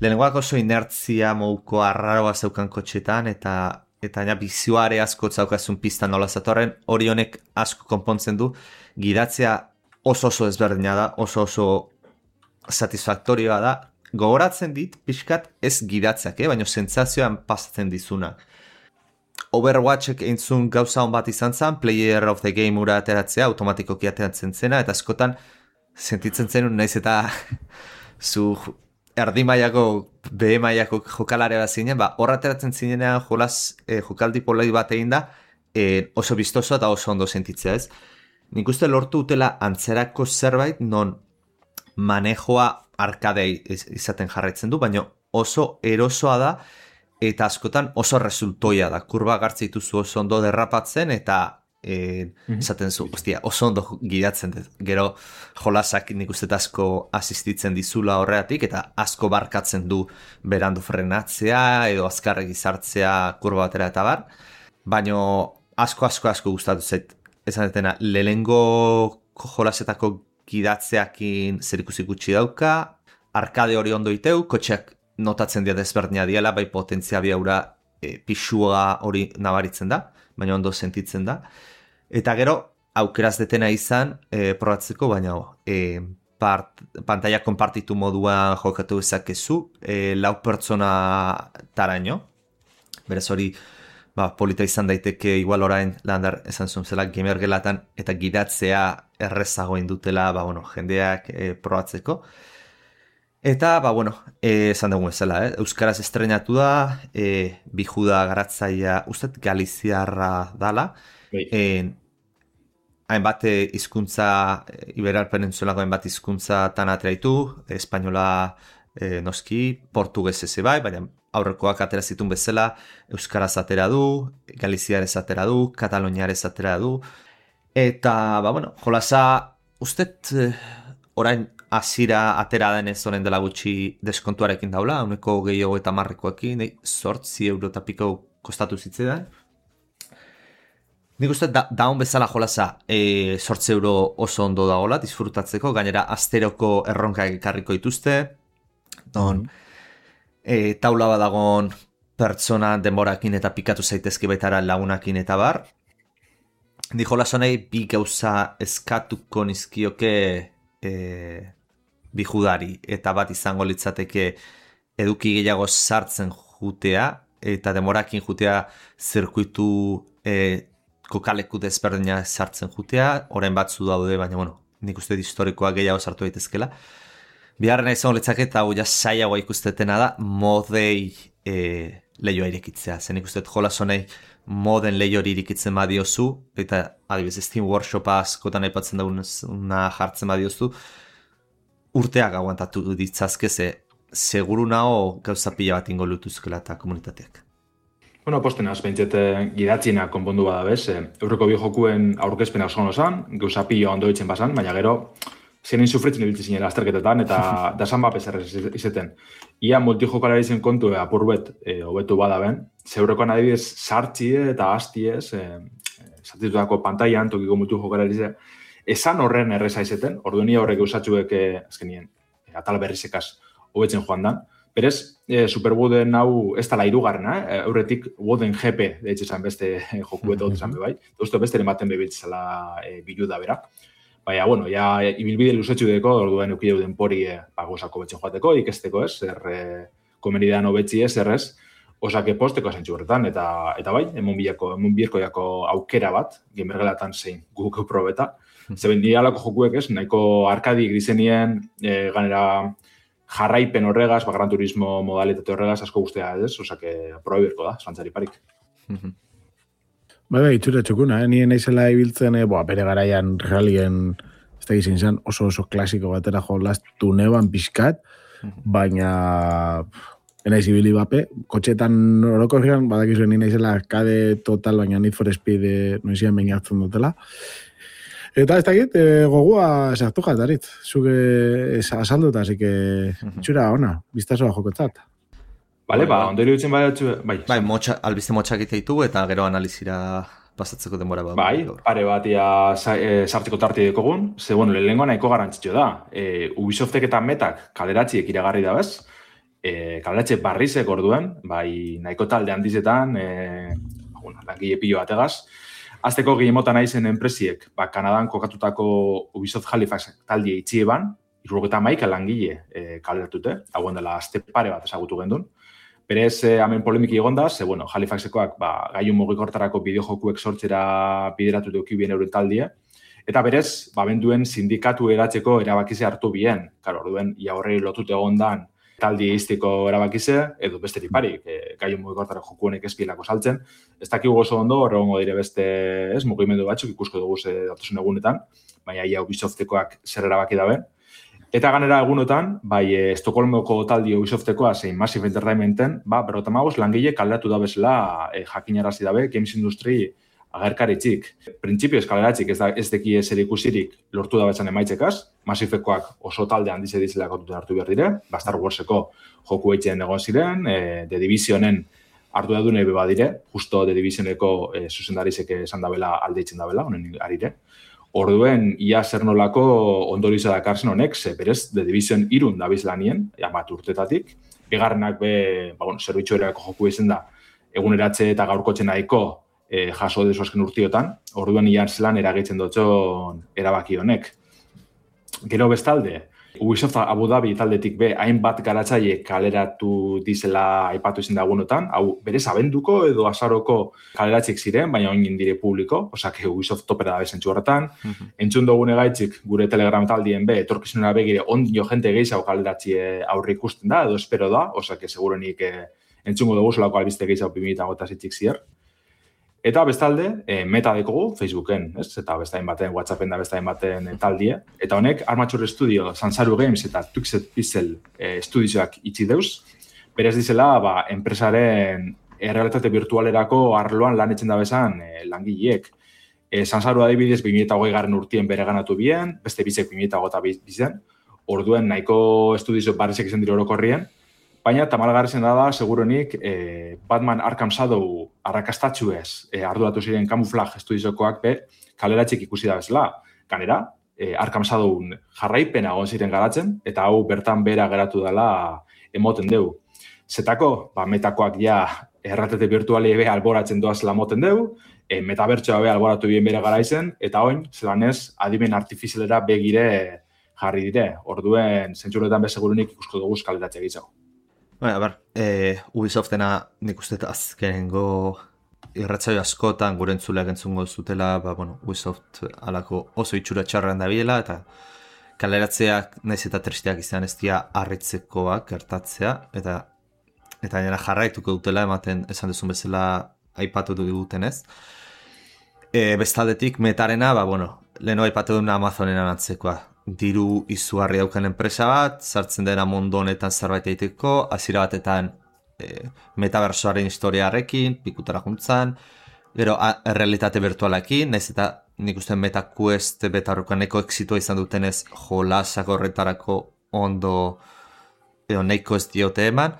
lehenengoak oso inertzia mouko arraroa zeukan kotxetan, eta eta ja, bizioare asko zaukazun pista nola zatorren, hori honek asko konpontzen du, gidatzea oso oso ezberdina da, oso oso satisfaktorioa da, gogoratzen dit, pixkat ez gidatzeak, eh? Baina sentsazioan pasatzen dizunak. Overwatchek eintzun gauza hon bat izan zen, Player of the Game ura ateratzea, automatikoki ateratzen zena, eta askotan sentitzen zenun naiz eta zu erdi mailako, B mailako jokalare bat zinen, ba, horra ateratzen zinenean jolas, eh, jokaldi poloi bat egin da, eh, oso bistoso eta oso ondo sentitzea, ez? Nik uste lortu utela antzerako zerbait, non manejoa arkadei izaten jarraitzen du, baina oso erosoa da, eta askotan oso resultoia da. Kurba gartze dituzu oso ondo derrapatzen, eta e, mm-hmm. esaten zu, ostia, oso ondo gidatzen dut. Gero jolasak nik uste asko asistitzen dizula horreatik, eta asko barkatzen du berandu frenatzea, edo azkarregi sartzea kurba batera eta bar. Baina asko, asko, asko gustatu zait. Esan detena, lehenengo jolasetako gidatzeakin zerikusi gutxi dauka, arkade hori ondo iteu, kotxeak notatzen dira desberdina diela, bai potentzia biaura e, pixua hori nabaritzen da, baina ondo sentitzen da. Eta gero, aukeraz detena izan, e, probatzeko, baina e, part, pantalla konpartitu moduan jokatu ezakezu, e, lau pertsona taraino, berez hori, ba, polita izan daiteke igual orain Lander esan zuen zela gamer gelatan eta gidatzea errezago indutela, ba, bueno, jendeak e, probatzeko. Eta, ba, bueno, e, esan dugu ezela, eh? Euskaraz estrenatu da, e, bijuda garatzaia, ustet galiziarra dala, e, hainbat hizkuntza, e, Iberal Penintsulako hainbat hizkuntza tan ateraitu, espainola e, noski, portugues eze bai, baina aurrekoak atera zitun bezala, euskaraz atera du, galiziarez atera du, kataloniarez atera du, eta, ba, bueno, jolasa, ustet, eh, orain hasira atera denez honen dela gutxi deskontuarekin daula, uneko gehiago eta marrekoekin, sortzi euro eta piko kostatu zitzetan. Nik uste da, daun bezala jolasa e, sortzi euro oso ondo dagoela, disfrutatzeko, gainera asteroko erronka ekarriko dituzte, don, mm-hmm. E, taula badagon pertsona denborakin eta pikatu zaitezke baitara lagunakin eta bar. Di jolasonei bi gauza eskatuko nizkioke e, bi judari eta bat izango litzateke eduki gehiago sartzen jutea eta denborakin jutea zirkuitu e, kokaleku desberdina sartzen jutea, orain batzu daude, baina bueno, nik uste historikoa gehiago sartu daitezkela. Biharren izan letzak eta hau jasaiagoa ikustetena da modei e, lehioa irekitzea. Zen ikustet jolasonei moden lehiori irikitzen badiozu, eta adibidez Steam Workshopa askotan aipatzen dauna jartzen badiozu, urteak aguantatu ditzazke, ze seguru nago gauza pila bat ingo lutuzkela eta komunitateak.
Bueno, posten azpentset gidatzina konpondu bada bez, eurreko bi jokuen aurkezpena oso osan, gauza pila ondo ditzen basan, baina gero zenin sufritzen ibiltzen zinen azterketetan, eta dasan bapes errez izeten. Ia multijokalari zen kontu apurbet e, hobetu bada ben, zeurekoan adibidez sartxie eta hastiez, e, sartitutako pantailan tokiko multijokalari ze, esan horren erreza izeten, orduenia horrek eusatxuek e, azkenien, e, atal berrizekaz hobetzen joan dan. Berez, e, Superwooden hau ez tala irugarrena, eh? Eurretik Wooden G P, deitz esan beste jokuetot esan bebai, duztu beste ematen bebiltzela e, bilu da bera. Baina, bueno, ja, ibilbide luzetxu deko, orduen eukideu denpori e, bagosako betxen joateko, ikesteko ez, zer e, komenidean hobetzi ez, zer ez, osake posteko zentzu horretan, eta, eta bai, emon bilako, emon birko jako aukera bat, gamergelatan zein guk probeta, zeben nire alako jokuek ez, nahiko arkadi grizenien, e, ganera jarraipen horregaz, ba, Gran Turismo modalitate horregaz, asko guztia ez, osake proba birko da, zantzari parik.
Bai, bai, itxura txukuna, eh? Nien naizela ibiltzen, eh? Boa, bere garaian realien, ez da gizien zan, oso oso klasiko batera jolaztu neban pixkat, baina enaiz ibili bape, kotxetan orokorrean, badakizuen nien naizela arcade total, baina Need for Speed eh, noizian behin hartzen dutela. Eta ez dakit, eh, gogua sartu jatarit, zuke eh, asalduta, así que itxura ona, biztasoa jokotzat.
Bale, ba, ondori dutzen bai, bai.
Bai, motxa, albiste motxak ditu eta gero analizira pasatzeko denbora bat.
Bai, pare bat ia e, sartzeko tarte dekogun, ze, bueno, lehenengo nahiko garantzitxo da. E, Ubisoftek eta Metak kaleratziek iragarri da bez, e, kaleratze barrizek orduen, bai, nahiko talde handizetan, e, bueno, langile pilo bategaz. Azteko gehimota naizen enpresiek, ba, Kanadan kokatutako Ubisoft Halifax talde itxieban, irurogeta maika langile e, kaleratute, hauen dela azte pare bat ezagutu gendun. Berez, eh, hemen polemiki egonda, ze, bueno, Halifaxekoak ba, gaiu mugikortarako bideojokuek sortzera bideratu duki bien euren taldie. Eta berez, ba, benduen sindikatu eratzeko erabakize hartu bien. Karo, orduen, ia horrei lotute egondan taldi eizteko erabakize, edo besterik parik, eh, gaiu mugikortarako jokuenek ezpielako saltzen. Ez dakigu oso ondo, horregongo dire beste, ez, mugimendu batzuk ikusko dugu ze datosun egunetan, baina ia Ubisoftekoak zer erabaki dabe. Eta ganera egunotan, bai, e, Estokolmoko taldi Ubisoftekoa zein Massive Entertainmenten, ba, berrota magos langile kaldatu da bezala e, jakinarazi dabe Games Industry agerkaritzik. Printzipioz kaleratzik ez, da, ez deki zer ikusirik lortu da betzan emaitzekaz, Massivekoak oso talde handize dizela kontuten hartu behar dire, ba, Star Warseko joku eitzen egon ziren, e, The Divisionen hartu da dune beba dire, justo The Divisioneko e, zuzendarizek esan dabela aldeitzen dabela, honen arire. Orduen, ia zer nolako ondoriza dakarzen honek, ze berez, The Division irun dabiz lanien, jamat urtetatik. Bigarrenak be, ba, bueno, zerbitzu erako joku izen da, eguneratze eta gaurkotzen nahiko e, jaso dezu azken urtiotan. Orduen, ia zelan eragitzen dutxon erabaki honek. Gero bestalde, Ubisoft Abu Dhabi taldetik be, hainbat garatzaile kaleratu dizela aipatu izin dagunotan, hau berez abenduko edo azaroko kaleratzik ziren, baina oin dire publiko, osak Ubisoft topera da bezentzu horretan. Mm-hmm. Entzun dugune gaitzik gure Telegram taldien be, etorkizunera begire ondio jente gehiago kaleratzi aurre ikusten da, edo espero da, osak segurenik eh, entzungo dugu solako albiste gehiago bi mila hogeita zazpi zier. Eta bestalde, e, Meta dekogu Facebooken, ez? Eta bestain baten, WhatsAppen da bestain baten taldie. Eta honek, Armature Studio, Sansaru Games eta Tuxed Pixel e, estudizioak itxi deuz. Berez dizela, ba, enpresaren errealitate virtualerako arloan lan etzen da bezan e, langileek. E, Sansaru adibidez, bi mila hogei garren urtien bere ganatu bien, beste bizek bi mila hogeita bizen. Orduen, nahiko estudizio barrizek izan dire orokorrien. Baina, tamalgarrezen da da, segurenik, eh, Batman Arkham Shadow arrakastatxu ez, eh, arduratu ziren Camouflage estudiziokoak be, kaleratxik ikusi da bezala. Ganera, eh, Arkham Shadow jarraipena egon ziren garatzen, eta hau bertan bera geratu dela emoten deu. Zetako, ba, Metakoak ja erratete virtuali be alboratzen doazela moten deu, eh, metabertsoa be alboratu bien bere garaizen, eta oin, zelanez, adimen artifizialera begire jarri dire. Orduen, zentzuretan be segurenik ikusko dugu kaleratxe gitzago.
Bai, a ber, e, Ubisoftena nik uste azkenengo irratzaio askotan gure entzuleak entzungo zutela, ba, bueno, Ubisoft alako oso itxura txarran da biela, eta kaleratzeak naiz eta tristeak izan ez dira harritzekoak gertatzea, eta eta gainera jarraituko dutela ematen esan duzun bezala aipatu duten ez. E, bestaldetik Metarena, ba, bueno, leheno aipatu duen Amazonen antzekoa. Diru izugarri daukan enpresa bat, sartzen dena mundu honetan zerbait egiteko, hasiera batetan e, metaversoaren historiarekin, pikutara juntzan, gero errealitate virtualekin, naiz eta nik uste MetaQuest betarrukan neko exitua izan dutenez jolasak horretarako ondo edo neiko ez diote eman,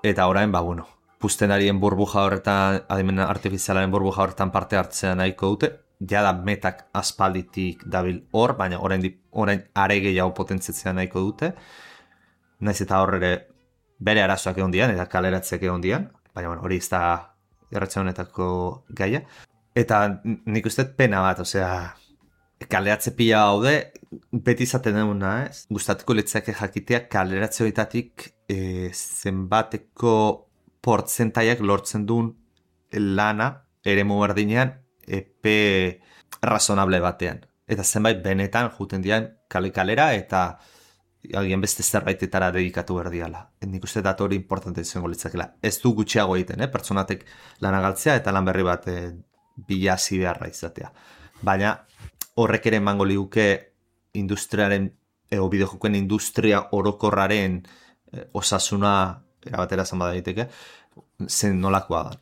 eta orain, ba, bueno, puztenarien burbuja horretan, adimen artifizialaren burbuja horretan parte hartzea nahiko dute, ja da Metak aspalditik dabil hor, baina orain, orain are gehiago potentziatzea nahiko dute. Naiz eta horre bere arazoak egon dian, eta kaleratzeak egon dian, baina bueno, hori ez da erratza honetako gaia. Eta nik uste pena bat, osea, kaleratze pila haude, beti izaten duguna, ez? Gustatuko litzake jakitea kaleratze horietatik e, zenbateko portzentaiak lortzen duen lana eremu berdinean epe razonable batean. Eta zenbait benetan juten dian kale-kalera eta agian beste zerbaitetara dedikatu berdiala. Nik uste datu hori importante izango litzakela. Ez du gutxiago egiten, eh? Pertsonatek lana galtzea eta lan berri bat eh, bilazi beharra izatea. Baina horrek ere emango liguke industriaren, ego bideojokoen industria orokorraren eh, osasuna erabatera zan badaiteke, zen nolakoa da.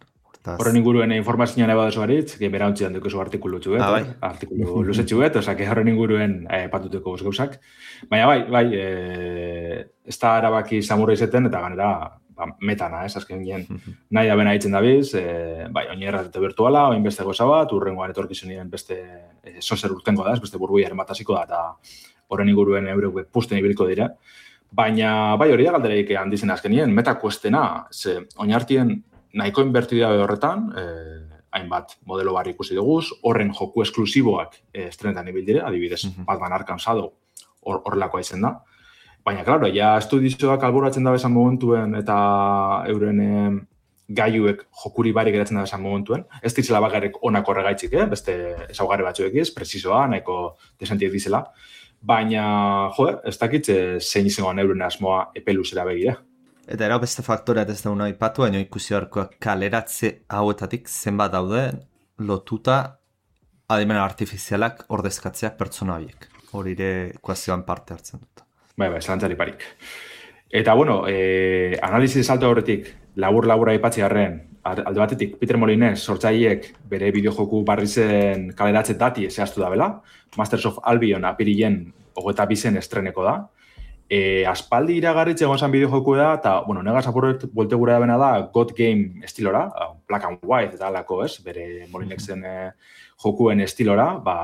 Horren inguruen informazioan eba dozu baritz, que bera ontzidan dukezu artikulu txuet, ah, bai. artikulu luze txuet, oza, que horren inguruen eh, patuteko gauzak. Baina bai, bai, eh, ez da erabaki samurra izeten, eta ganera ba, metana, ez, azken gien, nahi da bena hitzen dabiz, eh, bai, oin erratete virtuala, oin beste goza bat, urrengoan etorkizunien beste eh, sozer urtengo da, ez, beste burbuiaren bat hasiko da, eta horren inguruen eurek pusten ibiliko dira. Baina, bai, hori da galdereik handizen azkenien, meta kuestena, ze, oin hartien, nahiko inbertidea horretan, eh, hainbat modelo barri ikusi duguz, horren joku esklusiboak eh, estrenetan ibildire, adibidez, mm-hmm. Batman Arkham Shadow horrelakoa izen da. Baina, klaro, ja estudizioak alboratzen da bezan momentuen eta euren eh, gaiuek jokuri bari geratzen da bezan momentuen. Ez ditzela bakarrik onak horregaitzik, eh? Beste ezaugarri batzuek ez, presizoa, nahiko desentiek dizela. Baina, jo, ez dakitze zein izangoan euren asmoa epe luzera begira.
Eta erau beste faktoreat ez dauna ipatu, baina ikusi horkoak kaleratze hauetatik zenbat daude lotuta adimen artifizialak ordezkatzea pertsona horiek. Hori ere ekuazioan parte hartzen dut.
Bai, bai, zelantzari parik. Eta, bueno, eh, analizi salto horretik, labur-labura ipatzi harren, alde batetik, Peter Molinez, sortzaileek bere bideojoku barri zen kaleratze dati zehaztu da bela, Masters of Albion apirilen hogeita bizen estreneko da. E, aspaldi iragarritze egon zan bideojoku da, eta, bueno, negaz apurret buelte gura bena da God Game estilora, black and white eta alako, ez, bere Molinexen eh, jokuen estilora, ba,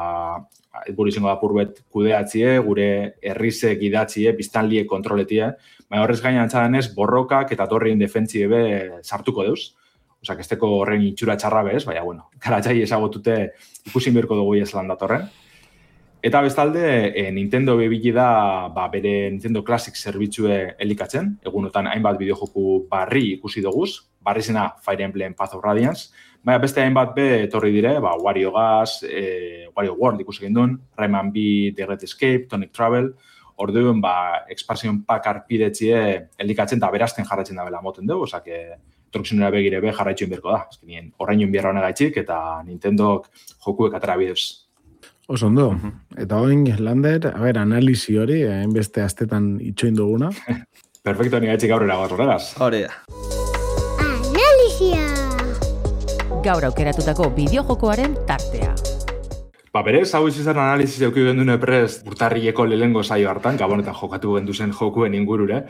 buru izango da purbet kudeatzie, gure herrizek idatzie, biztanliek kontroletie, baina horrez gaina antzadanez, borrokak eta torrien defentzie be sartuko deuz. Osak, esteko horren itxura txarra bez, baina, bueno, karatxai ezagotute ikusin berko dugu ez lan datorren. Eta bestalde, e, Nintendo bebili da ba, bere Nintendo Classic zerbitzue elikatzen, egunotan hainbat bideojoku barri ikusi duguz, barri zena Fire Emblem Path of Radiance, baina beste hainbat be etorri dire, ba, Wario Gas, e, Wario World ikusi gendun, Rayman B, The Great Escape, Tonic Travel, orduan, ba, Expansion Pack arpidetzie elikatzen eta berazten jarraitzen da bela moten dugu, osak, etorkizunera begire be jarraitxuen berko da. Azkenien, horrein bierra honegaitxik eta Nintendok jokuek atera bidez.
Oso ondo. Eta oin, Lander, a ber, analizi hori, hainbeste astetan itxoin duguna.
Perfecto, ni gaitxik aurrera goaz horregaz.
Hori da.
Analizia!
Gaur aukeratutako bideojokoaren tartea.
Ba, berez, hau izan analiziz euki gendune prest urtarrieko lehengo saio hartan, gabonetan jokatu gendu zen jokuen ingurure.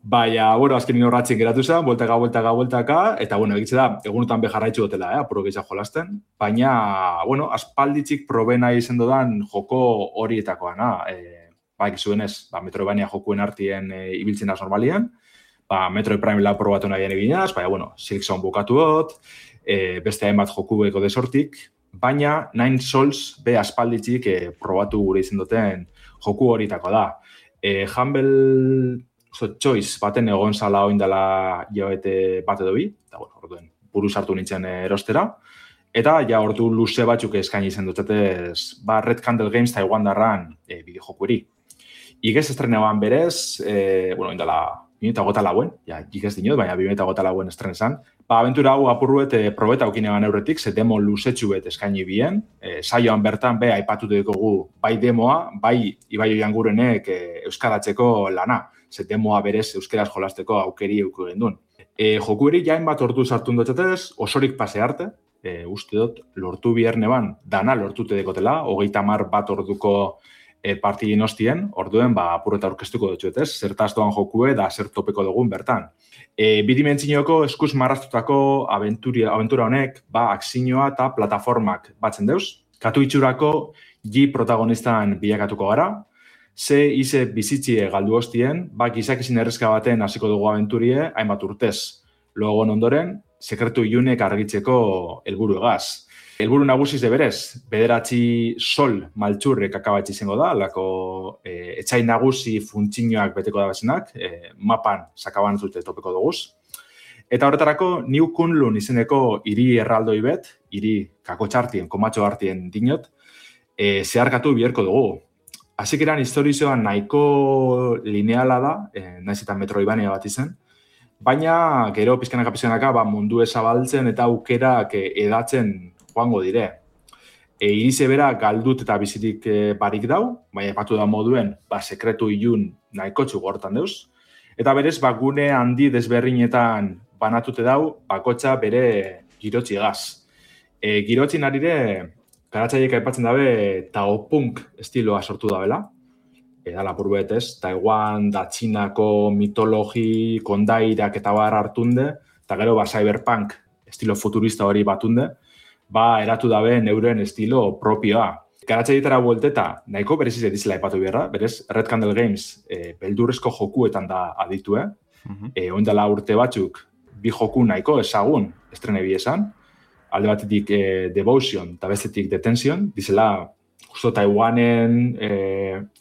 Baina, bueno, azken horratzen geratu zen, bueltaka, bueltaka, bueltaka, eta, bueno, egitze da, egunotan beharraitzu dutela, eh, apuro gehiago jolasten. Baina, bueno, aspalditzik probena izen dodan joko horietakoana. E, ba, ekizuen ez, ba, Metroidvania jokuen artien e, ibiltzen az normalian, ba, Metroid Prime lau probatu nahian eginaz, baina, bueno, Silksong bukatu dut, e, beste hainbat joku beko desortik, baina Nine Souls be aspalditzik e, probatu gure izen duten joku horietako da. E, Humble So, choice baten egon zala oindala joete bat edo bi, eta bueno, orduen buru sartu nintzen erostera, eta ja ordu luze batzuk eskaini izan dutzetez, ba Red Candle Games Taiwan darran e, bideojokueri. Igez estrenean berez, e, bueno, oindala bi mila hogeita lauen, ja, igez dinot, baina bi mila hogeita lauen estrenezan, ba, abentura hau apurruet e, probeta aukinean eurretik, ze demo luzetxuet eskaini bien, e, saioan bertan be aipatutu dugu bai demoa, bai Ibai Oiangurenek e, euskaratzeko lana, ze demoa berez euskeraz jolasteko aukeri euko gendun. E, jokueri jain bat ordu sartu dutzetez, osorik pase arte, e, uste dut, lortu bierne ban, dana lortute dekotela, hogeita hamar bat orduko e, partidin hostien, orduen, ba, apurreta aurkeztuko dutxuetez, zertaz doan jokue da zer topeko dugun bertan. E, bidimentzinioko eskuz marraztutako aventura, aventura honek, ba, akzinoa eta plataformak batzen deuz, katu itxurako G protagonistan bilakatuko gara, ze ize bizitzie galdu hostien, bak izakizin errezka baten hasiko dugu aventurie, hainbat urtez. Logon ondoren, sekretu iunek argitzeko helburu egaz. Helburu nagusiz de berez, bederatzi sol maltxurrek akabatzi izango da, lako e, etxai nagusi funtzioak beteko da bezenak, e, mapan sakaban zute topeko duguz. Eta horretarako, New Kunlun izeneko hiri erraldoi bet, hiri kakotxartien, komatxo hartien dinot, e, zeharkatu biherko dugu. Hasik eran historizoan nahiko lineala da, e, naiz eta metroibania bat izen, baina gero pizkanaka pizkanaka ba, mundu ezabaltzen eta aukerak e, edatzen joango dire. E, irize bera galdut eta bizirik e, barik dau, baina epatu da moduen ba, sekretu ilun nahiko txugortan deuz. Eta berez, ba, gune handi desberrinetan banatute dau, bakotxa bere girotzi egaz. E, girotzi narire, garatzaiek aipatzen dabe, taopunk estiloa sortu dabela. E, da lapur betez, Taiwan, da Txinako mitologi, kondairak eta bar hartunde, eta gero ba, cyberpunk estilo futurista hori batunde, ba, eratu dabe neuren estilo propioa. Garatzaietara buelteta, nahiko bereziz edizela epatu beharra, berez, Red Candle Games e, beldurrezko jokuetan da aditu, eh? Uh-huh. E, oindala urte batzuk, bi joku nahiko ezagun estrene bi esan, alde batetik e, Devotion eta bestetik Detention, dizela justo Taiwanen e,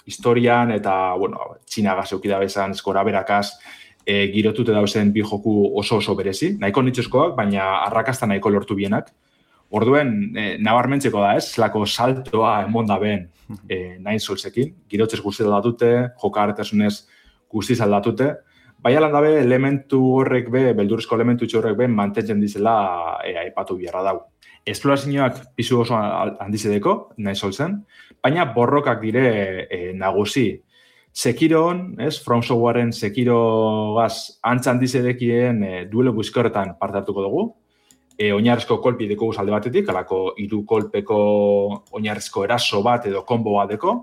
historian eta, bueno, Txinagaz eukida bezan, eskora berakaz, e, girotute dauzen bi joku oso oso berezi, nahiko nitxoskoak, baina arrakasta nahiko lortu bienak. Orduen, eh, nabarmentzeko da ez, lako saltoa emon da ben eh, Nine Soulsekin, girotzez guzti aldatute, jokartasunez guztiz aldatute, baina lan dabe elementu horrek be, beldurrizko elementu horrek be, mantentzen dizela eh, aipatu biharra dau. Esplorazioak pisu oso handizedeko, Nine Soulsen, baina borrokak dire eh, nagusi. Sekiron, ez, From Softwareen Sekirogaz antza handizedekien eh, duelo buizkorretan parte hartuko dugu, E, oinarrizko kolpi deko alde batetik, alako hiru kolpeko oinarrizko eraso bat edo kombo bat deko,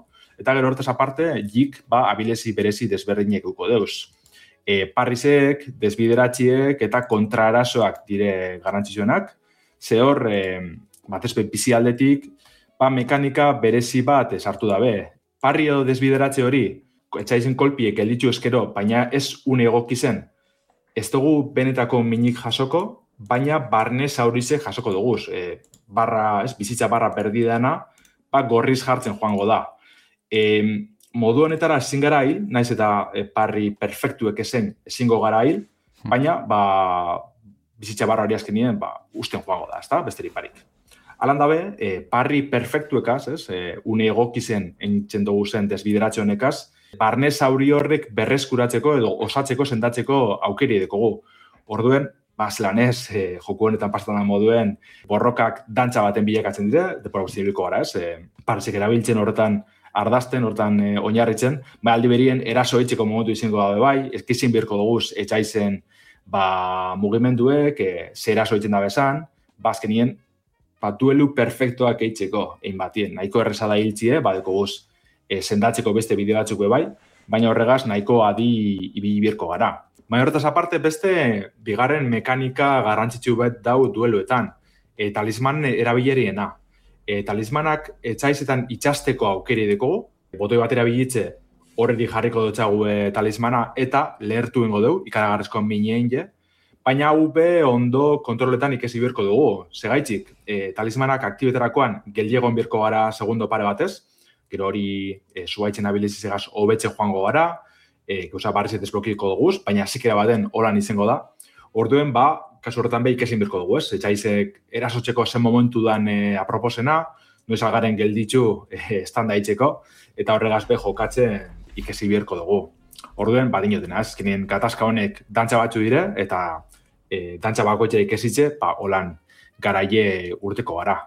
eta gero hortaz aparte, jik ba, abilezi berezi desberdinek uko deuz. E, parrizek, desbideratxiek eta kontraerasoak dire garrantzitsuenak, ze hor, e, batezpe bizi aldetik, ba, mekanika berezi bat esartu dabe. Parri edo desbideratxe hori, etxaizen kolpiek elditzu eskero, baina ez une egoki zen, ez dugu benetako minik jasoko, baina barne zaurize jasoko duguz. E, barra, ez, bizitza barra perdidana, ba, gorriz jartzen joango da. E, modu honetara ezin gara hil, naiz eta e, parri perfektuek ezen ezingo gara hil, baina ba, bizitza barra hori azkenien ba, usten joango da, ezta, besterik barik. Alan dabe, e, parri perfektuekaz, ez, e, une egokizen entzen dugu zen desbideratxe honekaz, barne zauri horrek berreskuratzeko edo osatzeko sendatzeko aukeri dekogu. Orduen, ba, zelanez, e, joku honetan pastanan moduen borrokak dantza baten bilakatzen dire, depora guztialiko gara, ez, e, parzik erabiltzen horretan ardazten, horretan e, oinarritzen, ba, aldi berien eraso etxeko momentu izango dabe bai, ezkizin birko duguz etxaizen ba, mugimenduek, e, ze eraso etxen da bezan, ba, azkenien, ba, duelu perfektoak eitzeko, egin batien, nahiko erreza da hiltzie, ba, deko guz, e, sendatzeko beste bide batzuk bai, baina horregaz nahiko adi ibili birko gara. Baina horretaz aparte beste bigarren mekanika garrantzitsu bet dau dueluetan. E, talisman erabileriena. E, talismanak etxaizetan itxasteko aukeri dekogu, botoi batera bilitze horredi jarriko dutxagu e, talismana eta lehertu ingo dugu, ikaragarrezko minein je, baina hau be ondo kontroletan ikesi birko dugu. Segaitzik, e, talismanak aktibetarakoan geliegon birko gara segundo pare batez, gero hori e, zuaitzen abilizizegaz hobetxe joango gara, E, gauza barrizet desblokiko duguz, baina zikera baden horan izango da. Orduen, ba, kasu horretan be ikesin birko dugu, ez? Etxaizek erasotzeko zen momentu dan e, aproposena, noiz algaren gelditzu e, estanda itxeko, eta horregaz be jokatzen ikesi birko dugu. Orduen, ba, dinotena, ez? Kenien gatazka honek dantza batzu dire, eta e, dantza bakoetxe ikesitze, ba, holan garaie urteko gara.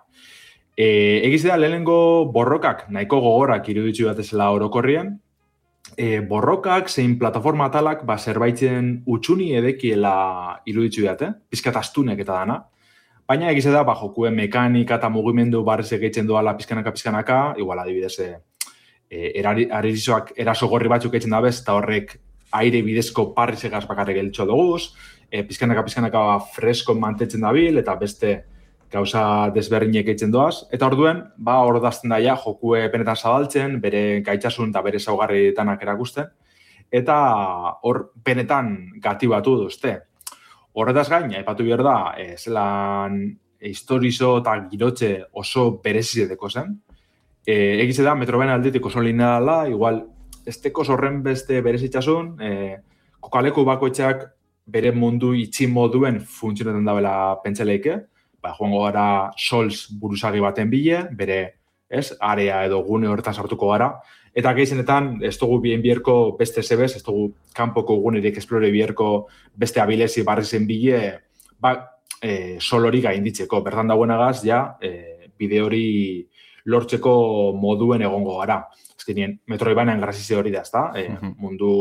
E, egiz da, lehenengo borrokak nahiko gogorak iruditzu batezela orokorrien, E, borrokak zein plataforma atalak ba, zerbaitzen utxuni edekiela iruditzu dut, eh? Pizkat astunek eta dana. Baina egize da, ba, jokuen mekanika eta mugimendu barriz egeitzen doala pizkanaka-pizkanaka, igual adibidez, e, erarizoak eraso gorri batzuk egiten dabez, eta horrek aire bidezko parriz egaz bakarrik geltxo duguz, e, pizkanaka-pizkanaka fresko mantetzen dabil, eta beste gauza desberdinek egiten doaz, eta orduen, ba, hor dazten daia jokue benetan zabaltzen, bere gaitzasun eta bere zaugarritanak erakusten, eta hor benetan gati batu duzte. Horretaz gain, aipatu behar da, e, zelan historizo eta girotxe oso berezizedeko zen. E, egize da, Metroidvania aldetik oso lineala, igual, ez teko horren beste berezitzasun, e, kokaleku bakoitzak bere mundu itxi moduen funtzionetan dabela pentseleike, ba, joango gara Souls buruzagi baten bile, bere, ez, area edo gune horretan sartuko gara, eta gehienetan ez dugu bien bierko beste zebez, ez dugu kanpoko gunerik esplore bierko beste abilezi barri zen bile, ba, e, solori gainditzeko, bertan dagoenagaz, ja, e, bide hori lortzeko moduen egongo gara. Ez genien, Metroidvanian grazizia hori da, ezta? E, mundu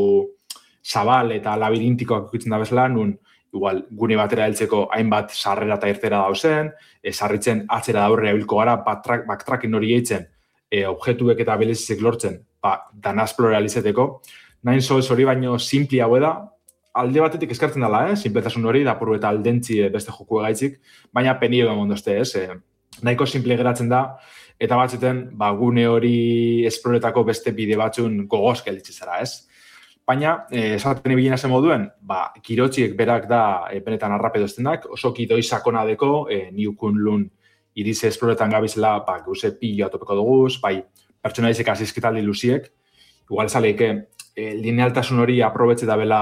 zabal eta labirintikoak ikutzen da bezala, nun igual gune batera heltzeko hainbat sarrera eta irtera dauzen, e, sarritzen atzera daurre abilko gara, backtracking hori eitzen, e, objektuek eta belezizik lortzen, ba, dana esploralizeteko. Nine Souls hori baino simplia hau da, alde batetik eskartzen dela, eh? Simpletasun hori, dapuru eta aldentzi beste joku egaitzik, baina penio da mondozte, ez? E, nahiko simple geratzen da, eta batzuten, ba, gune hori esploretako beste bide batzun gogoz gelditze zara, ez? Baina, eh, esaten ebilena zen moduen, ba, kirotxiek berak da e, benetan arrapedo estenak, oso kidoi sakona deko, e, niukun lun irize esploretan gabizela, ba, gauze pilo atopeko duguz, bai, pertsonaizek azizkitaldi luziek, igual esaleike, e, linealtasun hori aprobetxe da bela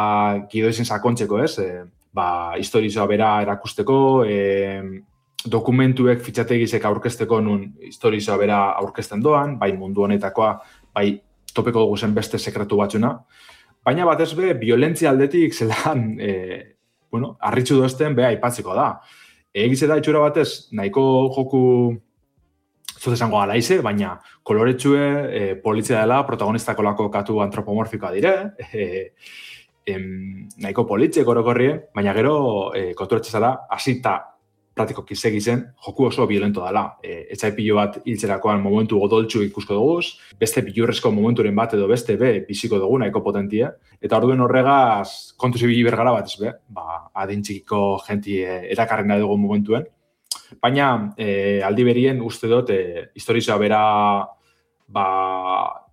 kidoizen sakontzeko, ez? E, ba, historizoa bera erakusteko, e, dokumentuek fitxategizek aurkezteko nun historizoa bera aurkezten doan, bai mundu honetakoa, bai topeko dugu zen beste sekretu batzuna, baina batez be, violentzia aldetik zelan, e, bueno, arritxu dozten beha aipatzeko da. Egize da itxura batez, nahiko joku zut esango alaize, baina koloretsue e, politzia dela protagonistako lako katu antropomorfikoa dire, e, em, nahiko politxek orokorrien, baina gero e, konturetxe zara, asita pratiko kisegi zen, joku oso violento dela. E, etxai pilo bat hiltzerakoan momentu odoltsu ikusko duguz, beste bilurrezko momenturen bat edo beste be, biziko dugu nahiko potentie. Eta orduen horregaz, kontu zibili bergara bat ez be, ba, adintxikiko jenti e, erakarren nahi dugu momentuen. Baina, e, aldi berien uste dut, e, historizoa bera, ba,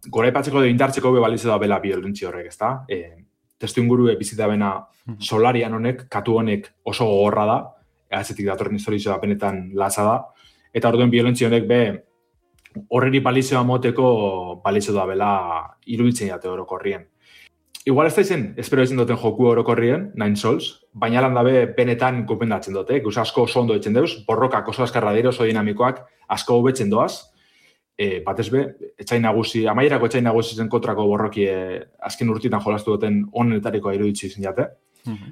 gora ipatzeko edo indartzeko be balize da bela violentzi horrek, ezta? E, testu inguru bizita bena solarian honek, katu honek oso gogorra da, atzetik datorren historizoa benetan latza da, eta orduen violentzia honek be horreri balizioa moteko balizio da bela iruditzen jate orokorrien. Igual ez da izen, espero izen duten joku orokorrien, Nine Souls, baina lan dabe benetan gupendatzen dute, guz asko oso ondo etzen deuz, borrokak oso askarra dira, oso dinamikoak, asko hobetzen doaz, e, batez be, etxain nagusi, amaierako etxain nagusi zen kontrako borroki e, azken urtitan jolastu duten onetarikoa iruditzi zen jate.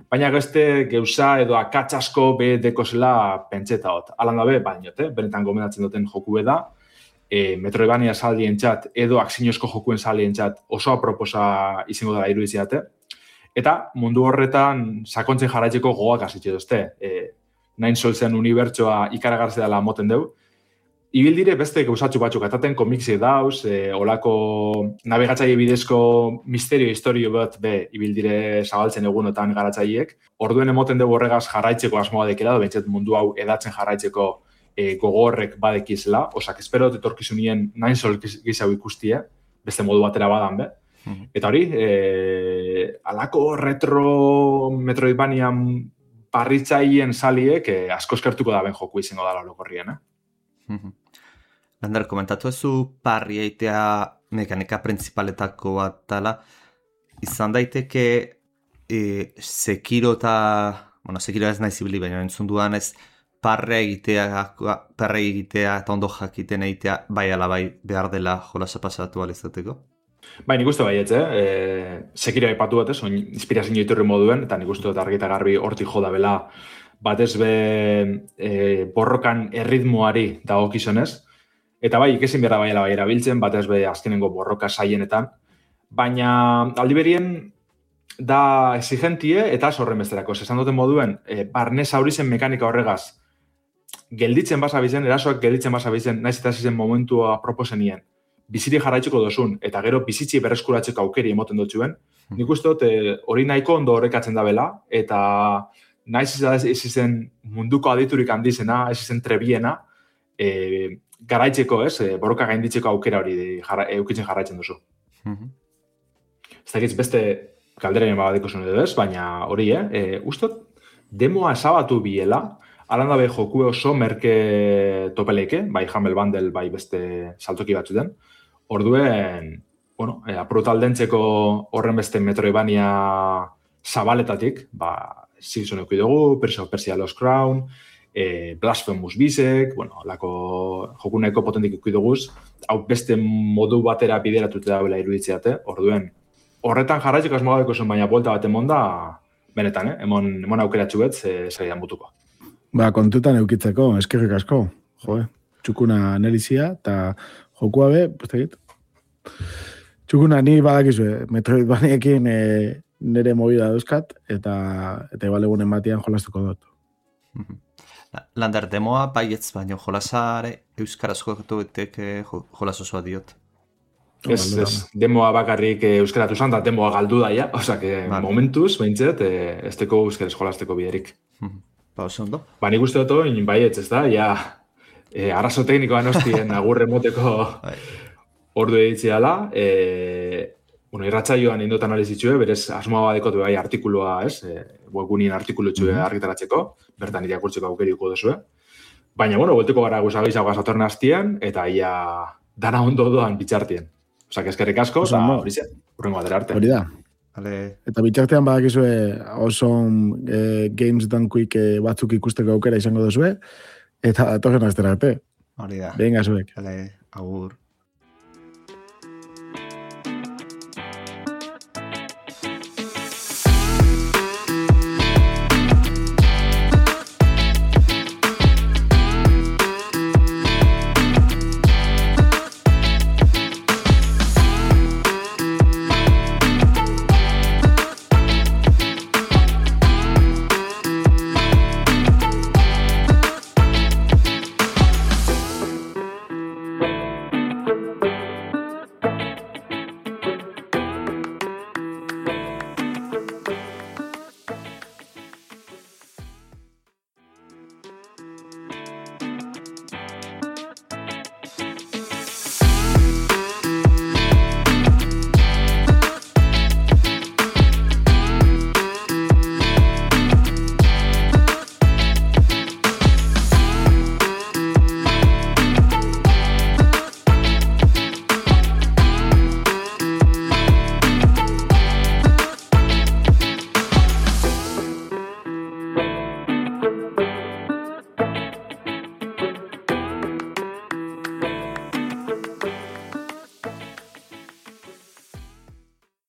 Baina gazte geuza edo akatsasko be dekozela pentseta hot. Alan dabe, bainote, benetan gomendatzen duten joku da, e, Metroidvania saldien txat edo aksinozko jokuen saldien txat oso aproposa izango dela irudiziate. Eta mundu horretan sakontzen jarraitzeko gogoak hasitxe dozte. E, Nine Soulsen unibertsoa ikaragartzea dela moten deu. Ibil dire beste gauzatxu batzuk ataten komiksi dauz, e, olako nabigatzaile bidezko misterio historio bat be ibil dire zabaltzen egunotan garatzaileek. Orduen emoten dugu horregaz jarraitzeko asmoa dekela, bentsat mundu hau edatzen jarraitzeko e, gogorrek badekizela. Osak, espero etorkizunien Nine Souls gizau ikustie, beste modu batera badan be. Mm-hmm. Eta hori, e, alako retro Metroidvanian parritzaien saliek e, asko eskertuko da ben joku izango dala orokorrien, eh?
Mm-hmm. Lander, komentatu ezu parri eitea mekanika principaletako bat tala, izan daiteke e, Sekiro eta, bueno, Sekiro ez nahi zibili, baina entzun duan ez parre egitea, parre egitea eta ondo jakiten egitea, bai ala bai behar dela jolasa pasatu alizateko?
Bai, nik uste baietz, eh? E, Sekiro aipatu bat ez, inspirazio iturri moduen, eta nik uste dut argi eta garbi hortik joda bela, batez be e, borrokan erritmoari dagokizonez. Eta bai, ikesin behar baiela bai erabiltzen, batez be azkenengo borroka saienetan. Baina aldi berien da exigentie eta zorren besterako. Esan duten moduen, e, barnez aurizen mekanika horregaz gelditzen basabizen, erasoak gelditzen basabizen, naiz eta zizen momentua proposenien. Biziri jarraitzuko dozun, eta gero bizitzi berreskuratzeko aukeri emoten dutxuen. Nik uste dut, hori nahiko ondo horrekatzen da bela, eta naiz ez izen munduko aditurik handizena, ez izen trebiena, e, garaitzeko, ez, e, borroka gainditzeko aukera hori jarra, eukitzen jarraitzen duzu. Mm-hmm. Ez dakitz beste kalderen badiko zuen edo ez, baina hori, eh? E, ustot, demoa esabatu biela, Alan dabe joku oso merke topeleike, bai Humble Bundle, bai beste saltoki batzuten. Orduen, bueno, e, aprutaldentzeko horren beste Metroidvania zabaletatik, ba, Season eki dugu, Prince of Persia Lost Crown, e, Blasphemous Bisek, bueno, lako jokuneko potentik eki duguz, hau beste modu batera bideratute da bela iruditzeate, orduen, horretan jarraitzeko asmagabeko zen, baina buelta bat emon da, benetan, eh? emon, emon aukeratxu bet, zaidan butuko.
Ba, kontutan eukitzeko, eskerrik asko, jo, txukuna nelizia, eta jokua be, postegit, txukuna ni badakizue, Metroidvaniekin e, nire movida dauzkat, eta eta igual egunen batian jolastuko dut.
Lander, demoa baietz baino jolasare euskaraz jokatu betek jolas osoa diot.
Ez, ez, demoa bakarrik euskaratu zan, da demoa galdu daia, oza, que vale. Momentuz, behintzet, ez teko euskaraz jolasteko biderik.
Ba, oso ondo.
Ba, nik uste dut, baietz, ez da, ja, e, arazo teknikoan hostien agurre moteko ordu editzeala, e, bueno, irratsaioan indot analizitxue, berez asmoa badekotu bai artikulua, ez, e, webgunien artikulutxue mm-hmm. argitaratzeko, bertan irakurtzeko aukeriko duzue. Baina, bueno, golteko gara guzagaizagoa zatorren hastien, eta ia dana ondo doan bitxartien. Osa, eskerrik asko, eta hori zen, urrengo batera arte.
Hori da.
Vale.
Eta bitxartean badakizue oso e, Games Done Quick e, batzuk ikusteko aukera izango duzue, eta datorren astera arte.
Hori da.
Venga, zuek.
Vale, agur.